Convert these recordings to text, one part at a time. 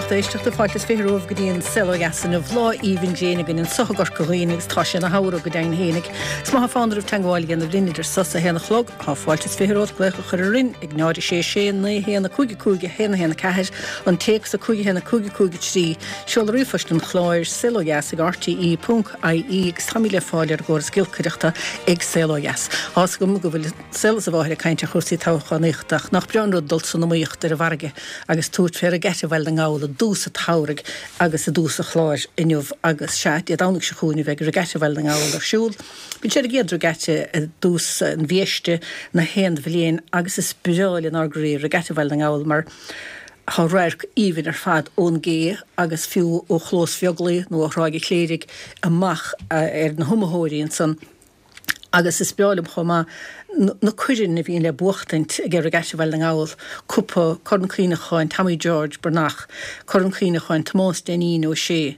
lucht éisteachta, fáilte is 20 romhaibh go dtí an Saol Ó Dheas inniu. Lá aoibhinn gréine againn anso i gCorca Dhuibhne agus tá sé ina shamhradh go deimhin fhéinig. Is má tá fonn oraibh teagmháil a dhéanamh linn idir sos a haon a chlog, tá fáilte is 20 romhat glaoch a chur orainn ag 0 6 6 9 1 5 5 1 1 4, an téacs 5 1 5 5 3, seoladh ríomhphoist an chláir, saolodheas ag rte ponc ie agus táimid le fáil ar an gcóras giolcaireachta ag Saol Ó Dheas. Tá's agam go bhfuil. saol is a mháthair ag caint ar chúrsaí toghchánaíochta ach nach breá an rud dul san iomaíocht ar an bhfarraige agus tabhairt fé Regatta Bhaile na nGall i dtús an tsamhraidh agus i dtús an chláir inniu agus sea, Dé Domhnaigh seo chugainn a bheidh Regatta Bhaile na nGall ar siúl. Bíonn sé ar an gcéad Regatta i dtús an mhí Feistis na haon bhliain agus is breá lenár gcroí Regatta Bhaile na nGall mar tá radharc aoibhinn ar fad ón gcé agus fiú ó Chlós Bheaglaoich nó ó Thráigh an Chléirigh amach ar na hiomaitheoirí ansan. Agus is breá liom chomh maith na coirn a bhíonn le buachtaint ag Regatta Bhaile na nGall, Cupa, Corn Cuimhneacháin Tommy George Breathnach, Corn Cuimhneacháin Tomás Dainín Ó Sé,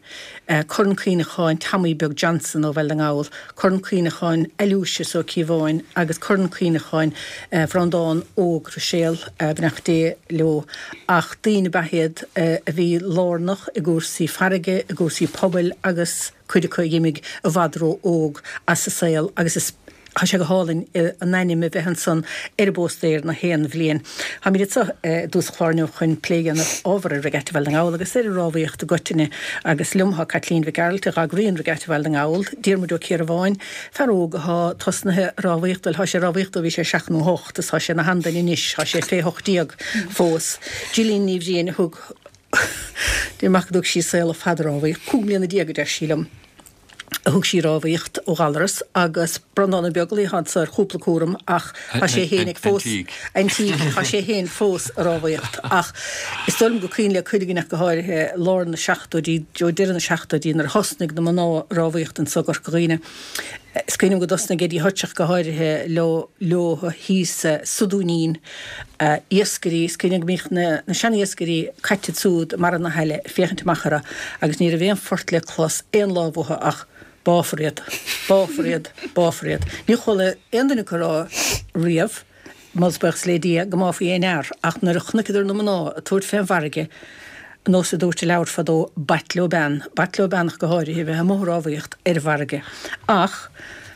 Corn Cuimhneacháin Tommy Beag Johnson ó Bhaile na nGall, Corn Cuimhneacháin Aloysius Ó Cíobháin agus Corn Cuimhneacháin Bhreandán Óg Ruiséal, beannacht Dé leo. Ach daoine ab ea iad a bhí lárnach i gcúrsaí farraige, i gcúrsaí pobail agus. cuid acu a dh'imigh i bhfad ró-óg as an saol agus is tá sé go hálainn a n-ainm a bheith ansan ar an bpóstaer na haon bhliain. Táimid anso i dtús an chláir inniu chun plé a dhéanamh ábhar ar Regatta Bhaile na nGall agus ar an rámhaíocht i gcoitinne agus liom tá Caitlín Mhic Gearailt a dh'eagraíonn Regatta Bhaile na nGall, Diarmuid Ó Ciarbháin, fear óg athá tosnaithe ag rámhaíocht, bhuel thá sé ag rámhaíocht ó bhí sé seacht nó hocht is thá sé ina sheanduine anois, thá sé fé 18 fós. Gillian Ní Bhriain a thug. Deir mac go dtug sí saol fada ag rámhaíocht, 15 mbliana a deir sí liom, a thug sí ag rámhaíocht ó Ghallaras agus Breandán Ó Beaglaoich atá anso ar chúpla cúram ach tá sé féin ag fós antique, tá sé féin fós ag rámhaíocht ach is dóigh liom gur cuimhin le cuid againn ach go háirithe lár na seachtóidí, ó deireadh na seachtóidí nuair a thosnaigh na mná ag rámhaíocht anso i gCorca Dhuibhne. Is cuimhin liom go dtosnaigh Eddie Hutch ach go háirithe leo leo thíos sa Dúinín, iascairí, is cuimhin liom go mbíodh na na sean-iascairí caite ansúd i mbarra na haille ag féachaint amach orthu agus ní raibh aon phort le clos aon lá uathu ach báfar iad, báfar iad, báfar iad. Níor chuala aon duine acu ag rá riamh. Moladh is buíochas le Dia go mbáfaí aon fhear, ach nuair a chonaiceadar na mná ag tabhairt fén bhfarraige, nós a dúirt i leabhar fadó, b'ait leo bean, b'ait leo bean ach go háirithe, bheith amuigh ag rámhaíocht ar an bhfarraige. Ach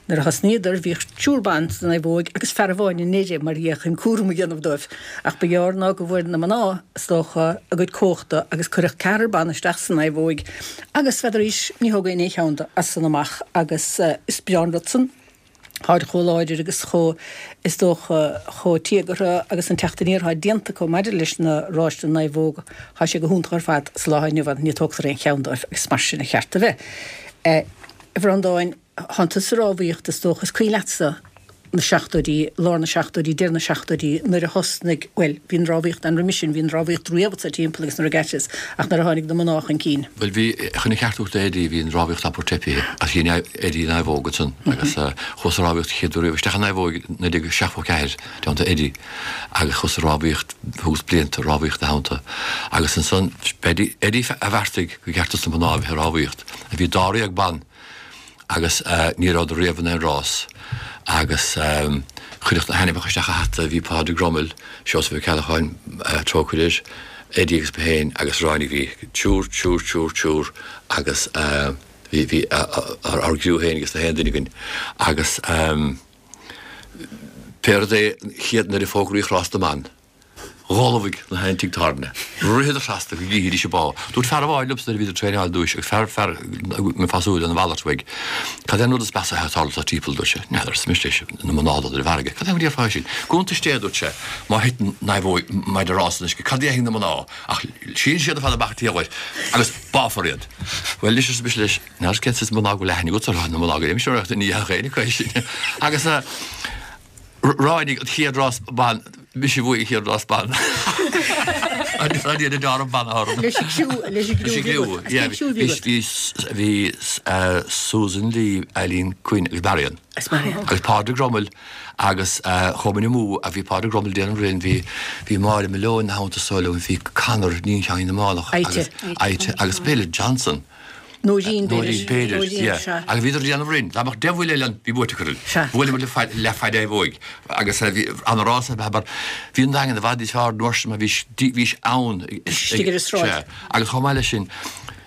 nuair a thosnaíodar, bhíodh triúr ban sa naomhóig agus fear amháin i nDoire, mar dhea, chun cúram a dhéanamh dóibh. Ach ba ghearr ná go bhfuair na mná, is dócha, a gcuid cumhachta agus cuireadh ceathrar ban isteach sa naomhóig agus, n'fheadaraís, ní thógfaí aon cheann de as san amach agus is breá an rud san. Táid chomh láidir agus chomh, is dócha, chomh tíogartha agus an teacht aniar atá déanta acu maidir leis na ráis na naomhóg, tá sé go hiontach ar fad sa lá inniu ann, ní tógtar aon cheann dóibh agus mar sin a cheart a bheith. A Bhreandáin, thánn tusa ag rámhaíocht is dócha, is cuimhin leatsa na seachtóidí, lár na seachtóidí, deireadh na seachtóidí, nuair a thosnaigh, bhuel, bhí an rámhaíocht ann roimis sin, bhí an rámhaíocht riamh anso timpeall agus na regattas ach nuair a tháinig na mná chun cinn. Bhuel, bhí, chun a cheartú d'Eddie, bhí an rámhaíocht abair teipithe ach dhein Eddie naomhóg ansan agus chuas ag rámhaíocht chéad uair riamh isteach i naomhóig i 1974 dteannta Eddie agus chuas ag rámhaíocht, thugas blianta rámhaíocht ina theannta agus ansan b'Eddie, Eddie a bheartaigh gur cheart dos na mná a bheith ag rámhaíocht. Bhí dáréag ban agus ní rabhadar riamh in aon rás agus cuireadh na hainmneacha isteach i hata, bhí Pádraig Rummel, Seosamh Ó Ceallacháin, trócaire air, Eddie agus mé féin agus ráinig bhí triúr, triúr, triúr, triúr agus bhí, bhí ár gcriú féin ages na haon duine againn agus pé rud é an chéad nuair a fógraíodh rás na mban. Dh'ullmhaigh na haon tigh tábhairne. Ritheadar trasna go gcífidís an bá. Dúirt fear amháin liomsa nuair a bhíodar ag traenáil dúis agus fear, fear, mé fá súil an mhalairt uaidh, Cad é an rud is measa atá ag tarlú sa timpeall, dúirt sé. N'fheadar, arsa mise leis, na mná ag dul ar an bhfarraige. Cad é mar a déarfá é sin? Cuntas Dé, dúirt sé, má thiteann naomhóig maidir rás san uisce, cad a dhéanfaidh na mná? Ach síneann siad ar fad amach an taobh uait agus báfar iad. Bhuel, anois, arsa mise leis, n'fheadar cén saghas mná go bhfuil aithne agat orthu, na mná go léir, mise ní dhéanfadh éinne acu é sin. Agus. Ráinig an chéad rás ban, mise a bhuaigh an chéad rás ban. Agus an iad a deáramh ban orm. Leis an gcriú, leis an gcriú a bhí agat. Bhí, bhí, bhí Susan Lee, Eileen Quinn agus Marion. Agus Marion. Agus Pádraig Rummel agus chuaigh muid amú a bhí Pádraig Rummel déanamh rinn, bhí, bhí Máire Malone ina theannta so liom, bhí Conor, níon Sheáinín na Mánach. Aite. Aite agus Bill Johnson. Nóirín, b'fhéidir. Nóirín, b'fhéidir, yeah. Agus bhíodar ag déanamh orainn. Dá mbeadh 10 bhuille eile ann, bhí buaite acu orainn. Sea. Bhuaileamar le leath naomhóig agus bhí an-rás ar mar bhí an Daingean i bhfad níos fearr an uair sin mar bhí bhís ann. Istigh ar an sráid. Sea. Agus chomh maith leis sin,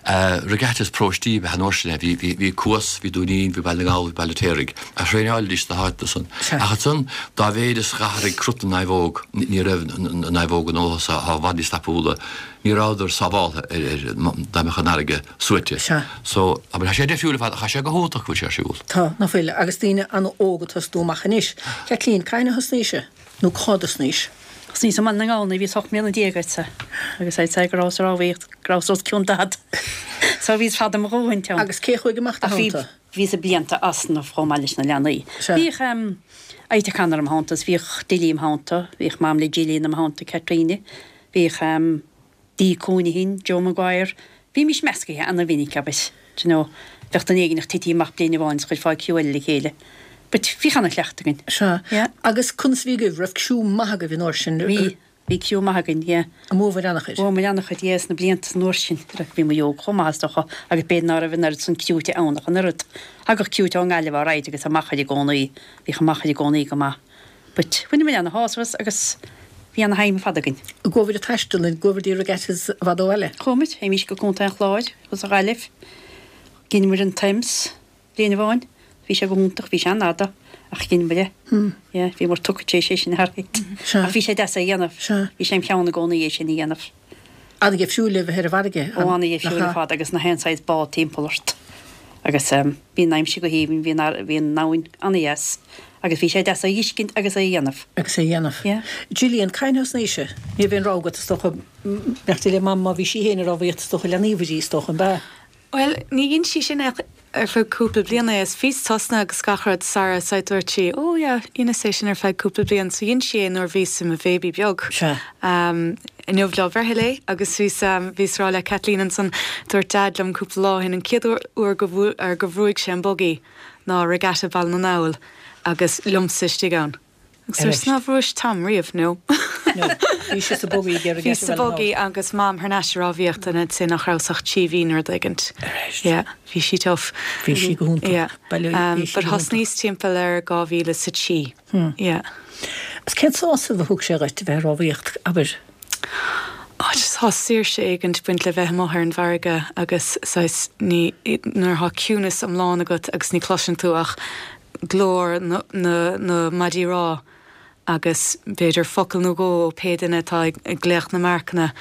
regattas paróistí ab ea an uair sin é. Bhí, bhí, bhí Cuas, bhí Dún Fhinn, bhí Baile na nGall, bhí Baile an Fheirtéaraigh a thraenáilidís sna háiteanna san. Sea. Ach ansan, dá mhéid is dh'athraigh crut na naomhóg, ní raibh na naomhóga nua so, atá i bhfad níos tapúla, ní rabhadar sábháltha ar, ar, dá mbeadh an fharraige suaite. Sea. So, abair, tá sé difriúil ar fad ach tá sé go hiontach go bhfuil sé ar siúl. Tá, ná fuil, agus daoine an-óg ag tosnú amach anois. Kathleen, cathain a thosnaís? Nó cá dtosnaís? Thosnaíos i mBaile na nGall nuair a bhíos 18 mbliana agat agus I'd say go rabhas ag rámhaíocht, go rabhas os cionn 40. So bhíos fada mo dhóthain ann. Agus cé chuaigh amach do Ach bhí, theannta? bhíos ag blianta easnamh chomh maith leis na leanaí. Sea. Bhíodh em Ita Connor im theannta is bhíodh Dilly im theannta, bhíodh mam le Gillian im theannta, Caitríona. Bhíodh em Dee Counihan, Joe Maguire, bhímís meascaithe ana-mhinic, abair, do you know, bheadh duine éigineach tití amach bliain amháin is chuirfeá criú eile le chéile. But bhíodh ana-chleachtadh againn. Sea. Yeah. Agus conas a bhí agaibh? Raibh criú maith agaibh an uair sin? Bhí. Bhí criú maith againn, yeah. An mbuabhair an-chuid? Bhuamar an-chuid, yeah, sna blianta san uair sin. Bhí muid óg chomh maith is dócha agus b'fhéidir ná raibh an oiread san criúite ann ach an oiread. Thagadh criúite ón nGaillimh alright agus an Machaire i gcónaí. Bhíodh an Machaire i gcónaí go maith. But bhaineamar ana-shásamh as agus bhí ana-thime ar fad againn. An gcuabhair ag taisteal, an gcuabhair dtí regattas i bhfad ó bhaile? Chuaigh muid, théimís go Contae an Chláir agus an Ghaillimh. Dheineamar an Thames bliain amháin. Bhí sé go hiontach, bhí sé an-fhada ach dheineamar é. Yeah, bhíomar tugtha tar éis é sin a tharraingt. Sea. Ach bhí sé deas é a dhéanamh. Sea. Bhí sé im cheann i gcónaí é sin a dhéanamh. An-gheifriúil a bheith ar an bhfarraige. Ó, an-gheifriúil ar fad agus nach aon saghas bád timpeall ort. Agus bhí an aimsir go haoibhinn, bhí an, bhí an abhainn an-dheas agus bhí sé deas é a fheiscint agus é a dhéanamh. Agus é a dhéanamh. Yeah. Gillian, cathain a thosnaís-se? Ní raibh aon rogha agat is dócha, beannacht Dé le Mam má bhí sí féin ag rámhaíocht is dócha lean uirthi is dócha, an b'ea? Bhuel, ní dhein sí sin ach ar feadh cúpla bliain é, is bhíos tosnaithe agus gach rud sara said dúirt sí, oh yeah, dheineas é sin ar feadh cúpla bliain, so dhein sí é nuair bhíos i mo bhéibí beag. Sea. Inniu lá breithe léi agus bhíos, bhíos rá le Kathleen ansan, dúirt Deaid liom cúpla lá ó shin an chéad uair go, ar go bhrúigh sé an buggy ná Regatta Baile na nGall agus liomsa istigh ann. Agus dúirt ná bhrúis Tom riamh, no. No. Bhí sé sa buggy ag iarraidh Bhí sa buggy agus Mam thar n-ais ag rámhaíocht and I'd say nach rabhas ach 3 mhí nó rud éigint. Arís. Yeah, bhí sí tough. Bhí sí go hiontach. Yeah. Baile, bhí sí But go hiontach. thosnaíos timpeall ar 2003. Yeah. Agus cén sásamh a thug sé dhuit a bheith ag rámhaíocht, abair? Oh, just tá saoirse éigint ag baint le bheith amuigh ar an bhfarraige agus saghas ní, nuair atá ciúnas iomlán agat agus ní chloiseann tú ach glór na na maidí rámha agus b'fhéidir focal nó dhó ó pé duine atá ag glaoch na marcanna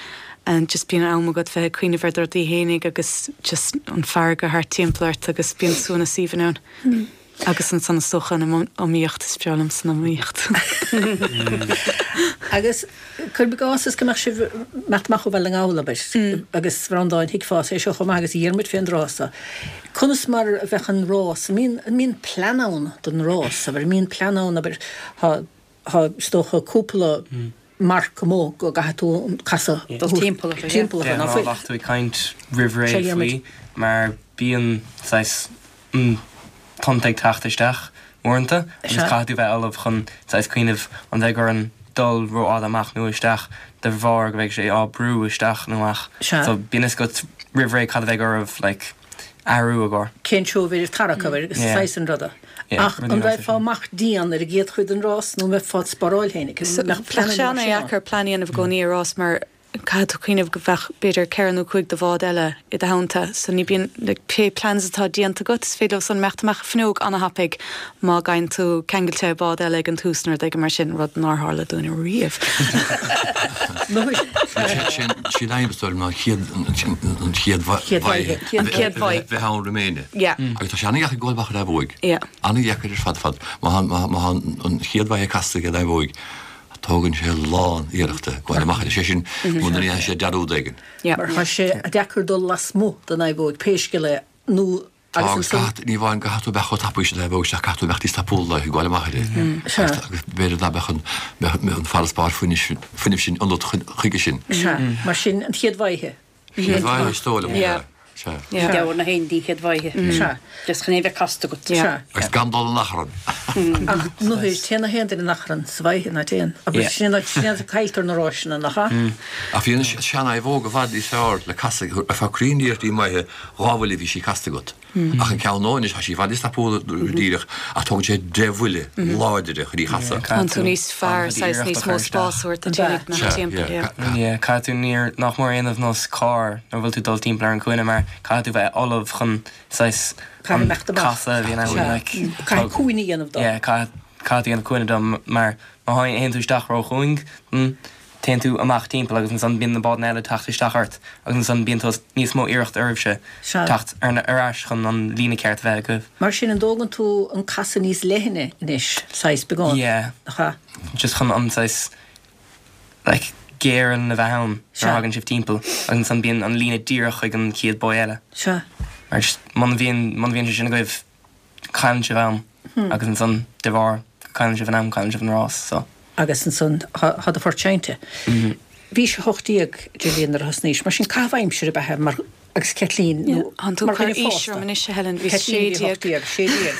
and just bíonn am agat bheith ag cuimhneamh ar do rudaí fhéinig agus just an farraige thart timpeall ort agus bíonn suaimhneas aoibhinn ann. Agus ansan is dócha an iomaíocht, is breá liomsa an iomaíocht. Agus cuirim i gcás is go mbeadh sibh ag imeacht amach ó Bhaile na nGall, abair, agus a Bhreandáin, thuigfeá é seo chomh maith agus a Dhiarmuid fén dtráth so. Conas mar a bheadh an rás, an mbíonn, an mbíonn plean ann don rás, abair, an mbíonn plean ann, abair, tá, tá, is dócha, cúpla marc amuigh go gcaithfidh tú an casadh a thabhairt timpeall orthu, timpeall orthu, ná fuil? Bheadh tú ag caint roimh ré Sea, Dhiarmuid. faoi mar bíonn saghas tonnta ag teacht isteach uaireanta agus caithfidh tú bheith ullamh chun saghas cuimhneamh an bheidh orainn dul rófhada amach nó isteach de bharr go mbeidh sé á brú isteach nó amach. Sea. So bíonn fhios agat roimh ré cad a bheidh oraibh like athrú i gcomhair. Cén seó a bheidh ag tarrac abair agus Yeah. saghas an ruda. Yeah, Ach rudaí an mar raghfá sin. amach dian ar an gcéad chuid den rás nó an mbeifeá ag spáráil féin? So Mbeadh bheadh pleananna sé mar sin ann? an-dheacair plean a dhéanamh i gcónaí ar rás mar Caithfidh tú cuimhneamh go bheadh b'fhéidir ceithre nó cúig de bhád eile i do theannta so ní bíonn like pé plans atá déanta agat is féidir leo san imeacht amach an fuinneog ana-thapaidh má gheibheann tú ceangailte ar bád eile ag an tús nó rud éigin mar sin, rud nár tharla dúinn riamh. Sin sin aidhm is dóigh liom ná an chéad an chéad Chéad bhaidhe An chéad bhaidhe. bheith ann roimh éinne. Yeah. Agus tá sé an-dheacair goil amach ar naomhóig. Yeah. An-dheacair ar fad fad. Má tá má tá an chéad bhaidhe casta ag an naomhóig Tógann sé a lán iarrachta gabháil amach air, sé sin, muna ndéanfaidh sé dearúd éigin. Mar tá sé deacair dul lasmuigh den naomhóig, pé scéal é, nó Tá, agus agus ansan. caithfidh, ní amháin go gcaithfidh tú a bheith chomh tapaidh sin naomhóg isteach, caithfidh tú a bheith níos tapúla ag gabháil amach uirthi. Sea. Agus b'fhéidir ná beadh an, beadh an farasbarr fuinnimh, fuinnimh sin ionat chuige sin. Sea, mar sin, an chéad bhaidhe. Chéad bhaidhe, is dóigh liom, Yeah. sea. Sea. Ní deabhar na haon díchead bhaidhe. Sea. Just chun é bheith casta agat. Sea. Agus gan dul in achrann. Ach nuair téann na haon duine in achrann sa bhaidhe ná téann. Agus sin é sin é cailltear na ráiseanna, nach ea? Ach bhí an sean-naomhóg i bhfad níos fearr le casadh, ar feadh cruinn iarrachtaí maithe, dha bhuille bhí sí casta agat. Ach an ceann nua anois, tá sí i bhfad níos tapúla díreach, ach tógann sé deich bhuille láidre chun í chasadh. Tá tú níos fearr, saghas níos mó spás a thabhairt duit uilig nach timpeall, yeah. Yeah, caithfidh tú níor, nach mór a dhéanamh nós carr nuair a bhfuil tú ag dul timpeall ar an cúinne mar caithfidh tú bheith ullamh chun saghas an casadh a bhíonn ann like. Caithfidh cúinne a dhéanamh dó. Yeah, caithfidh, caithfidh tú dhéanamh cúinne dó mar má théann tú isteach ró-chúing, Téann tú amach timpeall agus ansan bíonn na bádanna eile ag teacht isteach ort agus ansan bíonn tú níos mó iarracht oraibhse teacht ar ais chun an líne ceart a bheith agaibh. Mar sin an dtógann tú an casadh níos leithne anois, saghas beagán? Yeah. Nach ea? Just chun an saghas like géire a bheith ann nuair a thagann sibh timpeall agus ansan bíonn an líne díreach chuig an chéad buoy eile. Sea. Mar just muna bhíonn, muna bhíonn sé sin agaibh cailleann sibh am agus ansan de bharr go cailleann sibh an am cailleann sibh an rás so. Agus ansan tá do phort seinnte. Bhís 18 Gillian nuair a thosnaís, mar sin caitheamh aimsire ab ea é mar agus Caitlín nó Tánn tú mar ag cur dhuine aois fásta. orm anois a Helen, bhíos Caitlín bhí 16. 18, 16.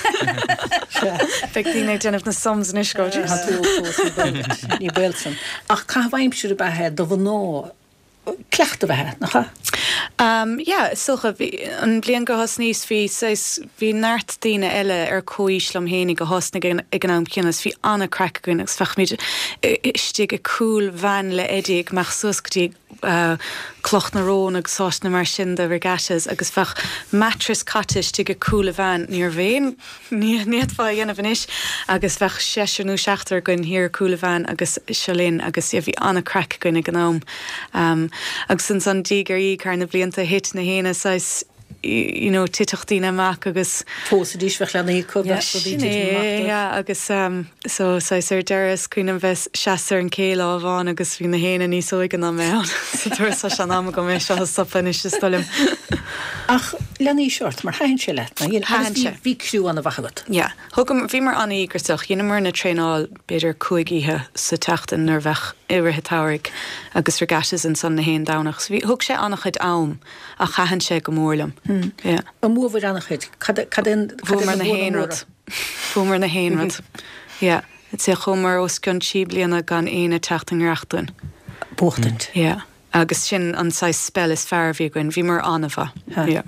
Sea. Beidh daoine ag déanamh na sums anois go Tá tú óg fós, ní baol duit, ní baol san. Ach caitheamh aimsire ab ea é do mhná cleachtadh ab ea é, nach ea? Yeah, is dócha. Bhí, an bhliain gur thosnaíos, bhí saghas, bhí neart daoine eile ar comhaois liom fhéinig a thosnaigh ag an am céanna agus bhí an-craic againn agus bheadh muid istigh i cúl veain le Eddie ag imeacht suas go dtí Cloch na Rón agus áiteanna mar sin do regattas agus bheadh mattress caite istigh i cúl a veain, ní raibh aon. Ní fhéadfá a dhéanamh anois agus bheadh seisear nó seachtar againn thiar i gcúl a veain agus seo linn agus yeah bhí an-craic againn ag an am. Agus ansan diaidh ar dhiaidh thar na blianta thit na héinne saghas you know titfeadh daoine amach agus. Phósaidís, bheadh leanaí acu, bheadh rudaí Sin titim é, amach dóibh. yeah agus so saghas ar deireadh is cuimhin liom bheith seasta ar an ché lá amháin agus bhí na héinne níos óige ná mé ann so dúirt tá sé in am agam é seo a stopadh anois is dóigh liom. Ach lean aois ort, mar thaitin sé leat, nár dhein? Thaitin Agus sé. bhí criú an-mhaith agat. Yeah. Thugamar, bhíomar an-íograiseach. Dheineamar na traenáil b'fhéidir 5 oíche sa tseachtain nuair a bheadh i rith an tsamhraidh agus regattas ansan na haon Domhnach. So bhí, thug sé an-chuid am ach thaitin sé go mór liom. Yeah. An mbuabhair an-chuid? Cad, cad é an, cad é Bhuamar na na buanna haon móra? rud. Bhuamar na haon rud. Yeah. I'd say chuamar os cionn trí bliana gan éinne teacht i ngiorracht dúinn. Buachtaint. Yeah. Agus sin an saghas spell is fearr a bhí againn. Bhíomar an-mhaith. Yeah.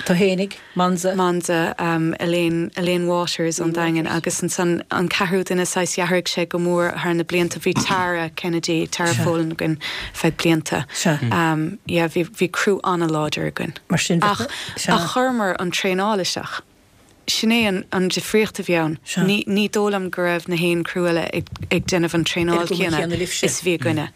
Tú fhéinig, Monza. Monza, Elaine, Elaine Waters ón Daingean agus ansan an ceathrú duine saghas d'athraigh sé go mór thar na blianta. Bhí Tara Kennedy, Tara Folan againn feadh blianta. Sea. Yeah, bhí, bhí criú an-láidir againn. Mar sin, Ach, ach chuireamar an traenáil isteach. Sin é an difríocht a bhí ann. Ní, ní dóigh liom go raibh na haon criú eile ag, ag déanamh an traenáil chéanna is a bhí againne.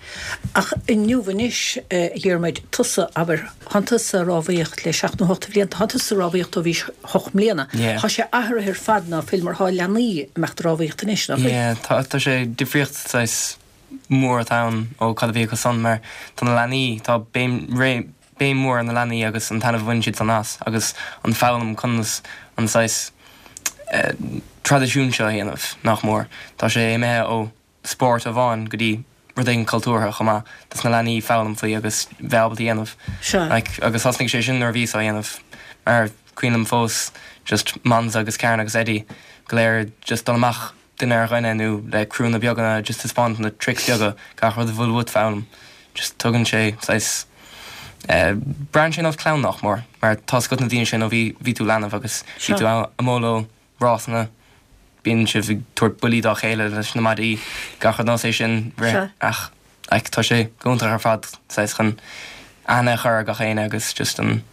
Ach inniu anois, a Dhiarmuid, tusa, abair, thánn tusa ag rámhaíocht le seacht nó hocht de bhlianta, thánn tusa ag rámhaíocht ó bhís hocht mbliana. Tá sé athraithe ar fad ná fuil mar thá leanaí ag imeacht ag rámhaíocht anois, ná fuil? Yeah, tá, tá sé difríocht saghas mór atá ann ó cad a bhí acu san mar tá na leanaí, tá béim, ré, béim mhór ar na leanaí agus an taitneamh a bhaineann siad san as agus an foghlaim conas an saghas traidisiún seo a dhéanamh, nach mór. Tá sé imithe ó spórt amháin go dtí rud éigin cultúrtha chomh maith dos na leanaí foghlaim faoi agus bheith ábalta a dhéanamh. Like, agus thosnaigh sé sin nuair a bhíos á dhéanamh mar cuimhin liom fós just Monza agus Karen agus Eddie go léir just dul amach duine ar dhuine nó le criúnna beaga just taispeáint na tricks beaga, gach rud a bhfuil uait foghlaim. Just tugann sé saghas eh braitheann sé nós clann nach mór mar tá's agat na daoine sin ó bhí bhí tú leanbh agus bhí tú amuigh leo rásanna bíonn sibh ag tabhairt buillí dá chéile leis na maidí gach rud nós é sin rith ach Like tá sé go hiontach ar fad saghas chun aithne a chur ar gach éinne agus just an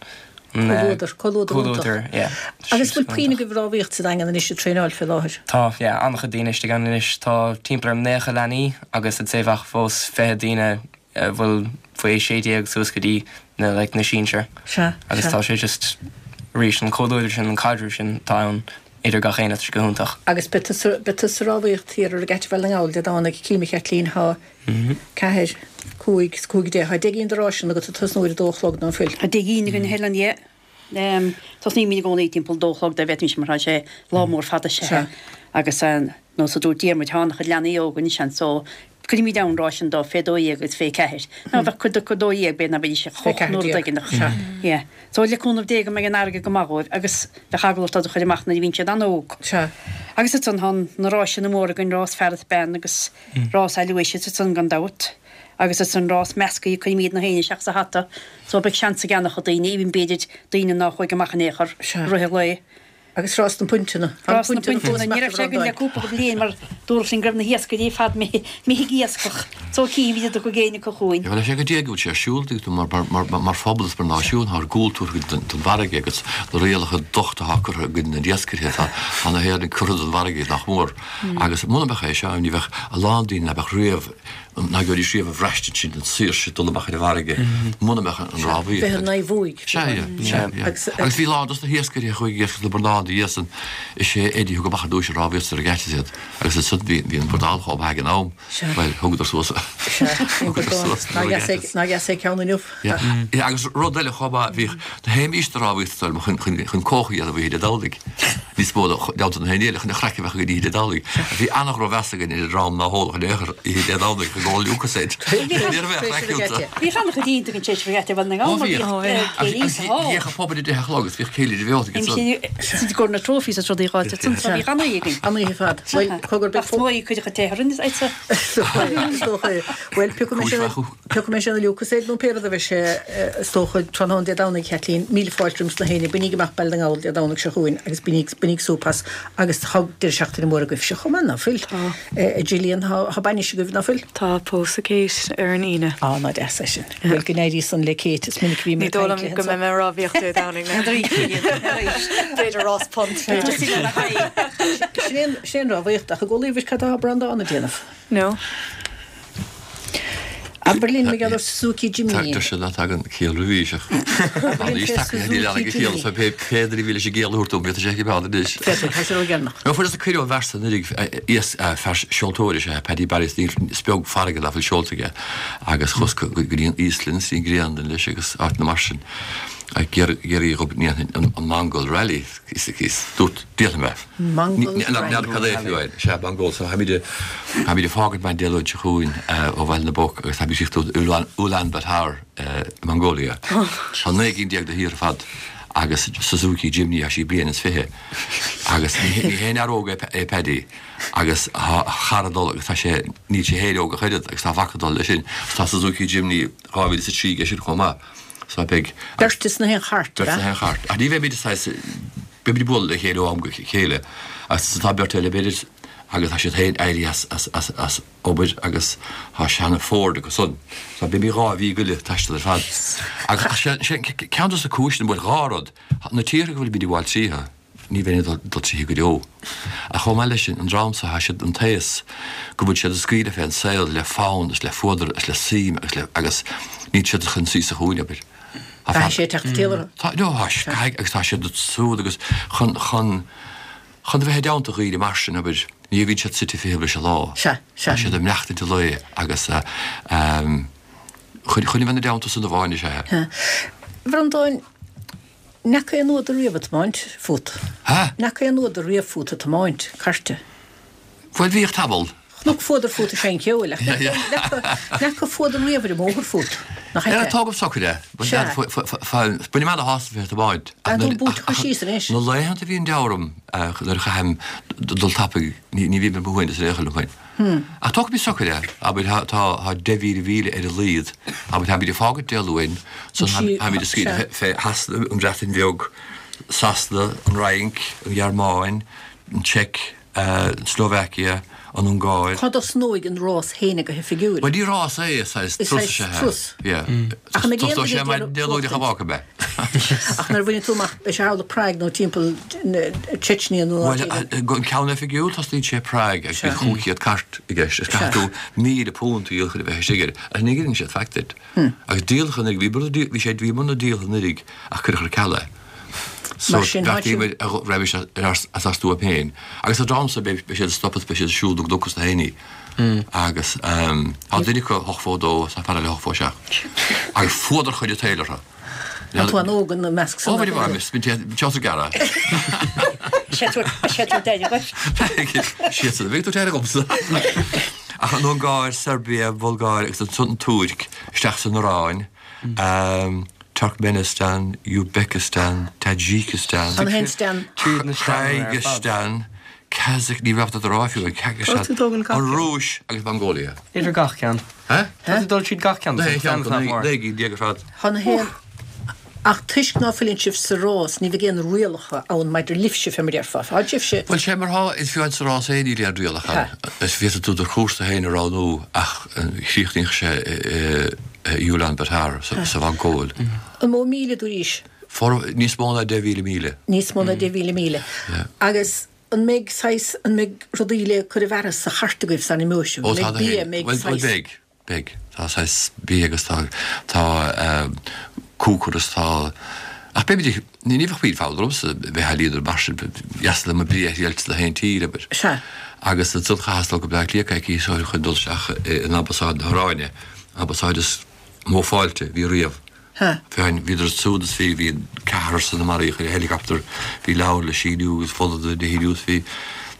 an Comhluadar, comhluadar iontach. comhluadar yeah. Agus bhfuil puinn agaibh ag rámhaíocht sa Daingean anois ag traenáil fé láthair? Tá yeah an-chuid daoine istigh ann anois. Tá timpeall ar 90 leanaí agus I'd say bheadh fós 20 daoine a bhfuil faoi 16 suas go dtí na like na sinsir. Sea, Agus sea. tá sé just arís an comhluadar sin an caidreamh sin atá ann idir gach éinne tá sé go hiontach. Agus beidh tusa, beidh tusa ag rámhaíocht thiar ar Regatta Bhaile na nGall Dé Domhnaigh, cím a Chaitlín, thá ceathair, cúig, is cúig deich, thá deich gcinn de ráiseanna agat ag tosnú ar a dó a chlog ná fuil? Tá deich gcinn againn a Helen, yeah. Tosnaímid i gcónaí timpeall dó a chlog dá bhféadfaimis mar tá sé lá mór fada sea. Agus nós a dúirt Diarmuid, thá an-chuid leanaí óga anois ann so. Cuirimid ann ráiseanna dóibh fé 12 agus fé 4. Nó bheadh cuid acu 12 b'fhéidir ná beidís ach 8 nuair a d'fhaigheann ach yeah. So le cúnamh Dé go mbeidh an fharraige go maith dhóibh agus bheadh eagla ort iad a chur amach nuair a bhíonn siad an-óg. Sea. Agus ansan tá na ráiseanna móra againn, rás fear is bean agus rás Aloysius ansan gan dabht. Agus ansan rás meascaí cuirimid na haoinne isteach sa hata so beidh seans ag an-chuid daoine, even b'fhéidir daoine ná chuaigh amach in aon chor i rith an lae. Agus rás na bpuinteanna. Rás na bpuinteanna. Ní raibh sé againn le cúpla bliain mar dúradh linn go raibh na hiascairí ar fad imithe ag iascach. So cífimid an dtiocfaidh éinne acu chugainn. Bhuel, sé go dtí go bhfuil sé ar siúl mar phobal is mar náisiún, tá ár gcúl tabhartha don bhfarraige agus na rialacha dochta atá curtha i gcoinne na n-iascairí, tá na hÉireannaigh curtha den bhfarraige nach mór. Agus muna mbeadh é seo, ní bheadh a lán daoine nach mbeadh riamh ná gheobhaidís riamh an bhraistint sin den saoirse dul amach ar an bhfarraige muna mbeadh an rámhaíocht. Bheith in aghaidh bhuaidh. Sea, sea, sea. Agus bhí lán dos na hiascairí a chuaigh ag iascach le Bradán ina dhiaidh san. Is é Eddie a thug amach ar dtúis an rámhaíocht sa regatta iad agus ansan bhí bhí an bradán chomh maith ag an am. Bhuel, thugadar suas thugadar suas na regattas. Ná dheas é ceann inniu. Yeah, yeah, agus rud eile chomh maith, bhíodh na théimís do rámhaíocht chun chun chun cóch a dhéanamh oíche Dé Domhnaigh. Níos mó ná na haon eile chun an chraic a bheith againn oíche Dé Domhnaigh. Bhí an-dhrochmheas againn ar an dream ná hólfadh in aon chor oíche Dé Domhnaigh chun ól Lucozade. Ní raibh aon chraic iontu. Bhíodh an-chuid iontach an tséis regatta Bhaile na nGall mar bhíodh céilí sa hall. Bhíodh an pub ar a deich a chlog agus bhíodh céilí roimh ag ansan. Bhí go na trophies is rudaí dhá ansan so bhíodh an-oíche againn. An-oíche ar fad. Bhuel, cogar beidh. Ach is cuid acu téathar in is Is dócha é. Bhuel, piocfaidh mé sin. Piocfaidh mé sin an Lucozade nó pé rud a bheidh sé, is dócha, tráthnóna Dé Domhnaigh, a Chaitlín. Míle fáilte roimh na héinne. Bainíg amach Baile na nGall Dé Domhnaigh seo chugainn agus bainíg, bainíg súp as. Agus tá deireadh seachtaine mór agaibhse chomh maith, ná fuil? Tá. A Gillian, tá, tá bainis agaibh, ná fuil? Tá, pósadh Kate ar an Aoine. Á, ná deas é sin. Bhuel, go n-éirí san le Kate, is minic a bhí mé Ní ag dóigh caint liom léi go anso. mbeidh mé ag rámhaíocht Dé Domhnaigh, ná. B'fhéidir rás punt, b'fhéidir. Sin é an, sin é an rámhaíocht, ach i gcónaí, bhris cad atá Breandán ag déanamh? No. Abair linn mar gheall ar Suzuki Jimny. Tá sé ná tagann ciall roimhís ach tá níos tacaithe níl ann ag ciall so pé pé duine a bhí leis an gciall a thabhairt dom bhí sé ag an anois. Féadfaidh, tá sé ródheireanach. Nó fuaireas cuireadh ón bhfear san anuraidh fear seoltóir is ea Paddy Barry is beag farraige ná fuil seolta aige agus chuas go dtí an Íoslainn is an Ghraonlainn leis agus áiteanna mar sin ag iarraidh go ndéanfainn an Mongol Rally is dúirt déanfaidh mé. Mongol N'fheadar cad é fiú é. Sea, Mongol. So táimid táimid ag fágaint maidin Dé Luain seo chugainn ó Bhaile na bPoc agus táimid ag tíocht go Ulaanbaatar i Mongolia. Tá 19 gcinn de thíortha ar fad agus Suzuki Jimny tá sí bliain is fiche agus ní haon fhear óg é Paddy agus tá a chara ag dul agus tá sé níl sé féin óg ach oiread agus tá a mhac ag dul leis sin. Tá Suzuki Jimny 2003 aige sin chomh maith. So beidh. Beirt is na haon chairt, Beirt sna haon chairt. Ach ní bheimid saghas Beimid ag bualadh le chéile ó am go chéile agus tá beirt eile b'fhéidir agus tá siad féin éirithe as, as, as, as obair agus tá seana Ford acu san. So beimid 2 mhí go leith ag taisteal ar fad. Agus ach sé, sé ceann dos na cúiseanna, bhuel 2 rud, na tíortha go bhfuilimid ag gabháil tríothu, ní bheinn ag dul, dul tríothu go deo. Ach chomh maith leis sin, an dream so, tá siad den taos go bhfuil siad ag scaoileadh fén saol le fonn is le fuadar is le suim agus le, agus níl siad chun suí sa chúinne, abair. Caithfidh sé teacht timpeall orthu. Tá, no, tá, caithfidh, agus tá siad ag súil agus chun, chun, chun a bheith i dteannta dhaoine mar sin, abair, ní bhíonn siad suite fiche leis an lá. Sea, sea. Tá siad ag maireachtaint an lae agus ehm, chun, chun a bheith ina dteannta san amháin is ea. Sea. A Bhreandáin, n'fheaca aon fhuadar riamh ag tiomáint fút? Ha? N'fheaca aon fhuadar riamh fút ag tiomáint, cairte? Bhuel, bhíodh tamall. Chonac fuadar fút ag seinnt ceoil, ach n'fheaca fuadar riamh ar an mbóthar fút, nach ea? Tógaim socair é. Sea. Bainim ana-shásamh as bheith ag tiomáint. Tá tú buaite chur síos anois. Na laethanta a bhíonn deabhar orm nuair a chaithim dul tapaidh, ní bhím ar mo shuaimhneas in aon chor liom féin. Ach tógaim socair é. Abair, tá 10,000 mhíle ar a laghad. Abair, táimid ag fágaint Dé Luain, so táimid ag scaoileadh fé Shasana, an Bhreatain Bheag, Sasana, an Fhrainc, an Ghearmáin, an tSeic, an tSlóvaicia, an Ungáir. Cá dtosnóidh an rás féin go hoifigiúil? Bhuel, ní rás é, is saghas Is turas is saghas ea. turas. Yeah. Ach an mbeidh aon Tosnóidh duine sé ag maidin iarraidh Dé Luain ach buachtaint? fágfaidh mé. Ach nuair a bhaineann tú amach, beidh sé thall i Prague nó timpeall Chechnya nó áit Bhuel, éigin. an ceann oifigiúil, tosnaíonn sé i Prague agus Sea. bíonn 500 cairt i gceist. Is Sea. caithfidh tú £1,000 a dhíol chun a bheith istigh air. Ach ní dhíolann siad faic duit. Agus díoladh anuraidh, bhí bhí bhí sé bhí muna díoltha anuraidh ach cuireadh ar ceal é. So Mar sin, tá bheartaíomar a raghaimís as as ár stuaim féin. Agus an dream so beidh beidh siad ag stopadh beidh siad ag siúl na gcnoc is na héinní. Agus tá duine acu hocht fó dó is tá fear eile hocht fó seacht. Agus fuadar chuid an tsaoil orthu. Tá tú an-óg ina measc san. Ó bhí bhí bhí teas gearra. Sé tú sé tú deire Siad san bhí tú deire agamsa. Ach an Ungáir, Serbia, Bulgáir agus ansan an Túirc, isteach san Iaráin, Turkmenistan, Uzbekistan, Tajikistan, An haon stan? Kyrgyzstan, Kazakh, ní raibh do rá fiú, Kyrgyzstan, an Rúis agus Mongolia. Idir gach ceann. Tá tú dul tríd gach ceann, tá ceann nach mór. 19 ar fad. Tá na haon. Ach toisc ná fuileann sibh sa rás, ní bheidh aon rialacha ann maidir libhse, fé mar a déarfá. Tá sibhse. Bhuel, sé mar thá, is fiú sa rás féin níl aon rialacha ann. Is féadfaidh tú do chúrsa féin a roghnú ach chríochnaíodh sé i Ulaanbaatar sa Mhongóil. An mó míle dúraís? Níos mó ná 10,000 míle. Níos mó ná 10,000 míle. Agus an mbeidh saghas, an mbeidh rudaí le cur i bhfearas sa chairt agaibh san imeoidh sibh? An mbeidh bia, an mbeidh saghas. Bhuel, beidh. Beidh. Tá saghas bia agus tá, tá cúcar is tá, ach beimid ag, ní bheadh puinn fonn ormsa bheith á líonadh mar sin, dheas liom an bia a thriailt sna haon tír, abair. Sea. Agus ansan chaitheas dul go Bleá Cliath coicís ó shin chun dul isteach in Ambasáid na hIoráine, ambasáid is mó fáilte a bhí riamh. Ha. Féin, bhíodar ansiúd is bhí, bhí ceathrar san a maraíodh ar helicopter, bhí leabhar le síniú agus folder le shíniú is bhí,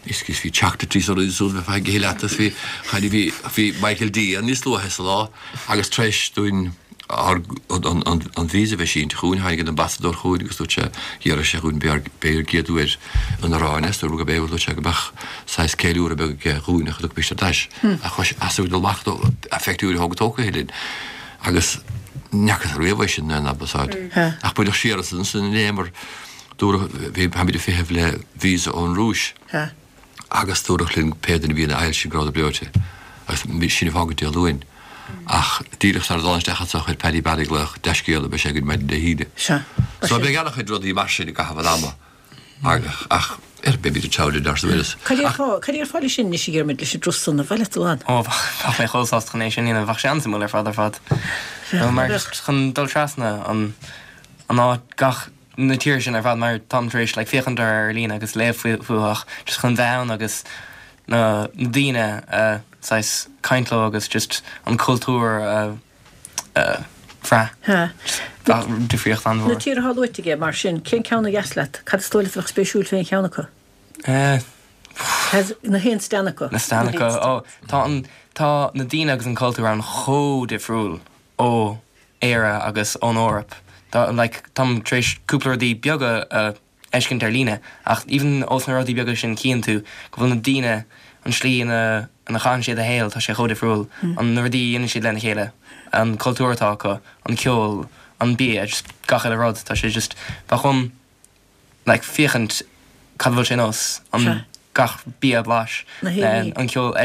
is bhí chocolate is rudaí ansiúd bheifeá ag ithe leat is bhí, cha bhí, bhí Michael D ann níos luaithe sa lá agus tar éis dúinn ár, an, an, an visa a bheith sínte chugainn, tháinig an ambasadóir chugainn agus dúirt sé, d'iarr sé dhúinn b'é ár, b'é ár gcéad uair in Iráin is dúirt gurb é, dúirt sé go mbeadh saghas ceiliúradh beag aige dhúinn ach a dtiocfaimis ar ais. Ach chuaigh sé as ag dul amach dó, a phictiúir a thóg tógtha linn. Agus ní fhacas riamh é sin in ambasáid. Ach buaileadh siar as ansin inné mar dúradh, bhí, táimid ag feitheamh le visa ón Rúis agus dúradh linn pé duine a bhí ina fhaill sin go rabhadar breoite agus bhí sin ag fágaint Dé Luain. Ach díreach sara dul isteach anso chuir Paddy Barry glaoch dea-scéala beidh sé againn maidin Dé hAoine. So beidh an-chuid rudaí mar sin i gcaitheamh an ama. Ach ar beimid ag treabhadh linn arsa Willis. Cad é atá, cad é ar fáil leis sin anois a Dhiarmuid, leis an dturas san, ar mhaith leat dul ann? Ó, bheadh mé chomh sásta chun é sin a dhéanamh, bheadh sé an-suimiúil ar fad ar fad. Nó mar just chun dul trasna an, an áit, gach, na tíortha sin ar fad mar táim tar éis like féachaint orthu ar líne agus léamh fúthu ach just chun bheith ann agus na, na daoine a saghas caint leo agus just an cultúr a bhrath. Difríocht an-mhór. Na tíortha atá luaite aige, mar sin, cén ceann a dheas leat? Cad is dóigh leat a bheadh spéisiúil fé aon cheann acu? Na haon stan acu. Na stan acu. Ó, tá an, tá na daoine agus an cultúr ann chomh difriúil ó Éire agus ón Eoraip. Tá, like, táim tar éis cúpla rudaí beaga a fheiscint ar líne, ach even ós na rudaí beaga sin cíonn tú go bhfuil na daoine, an slí ina ina chaitheann siad a shaol, tá sé chomh difriúil, an na rudaí a dhéanann siad lena chéile, an cultúr atá acu, an ceol, an bia, just gach uile rud, tá sé just, bheadh uaim like féachaint cad a bhfuil sé nós, an gach bia a bhlais, an ceol,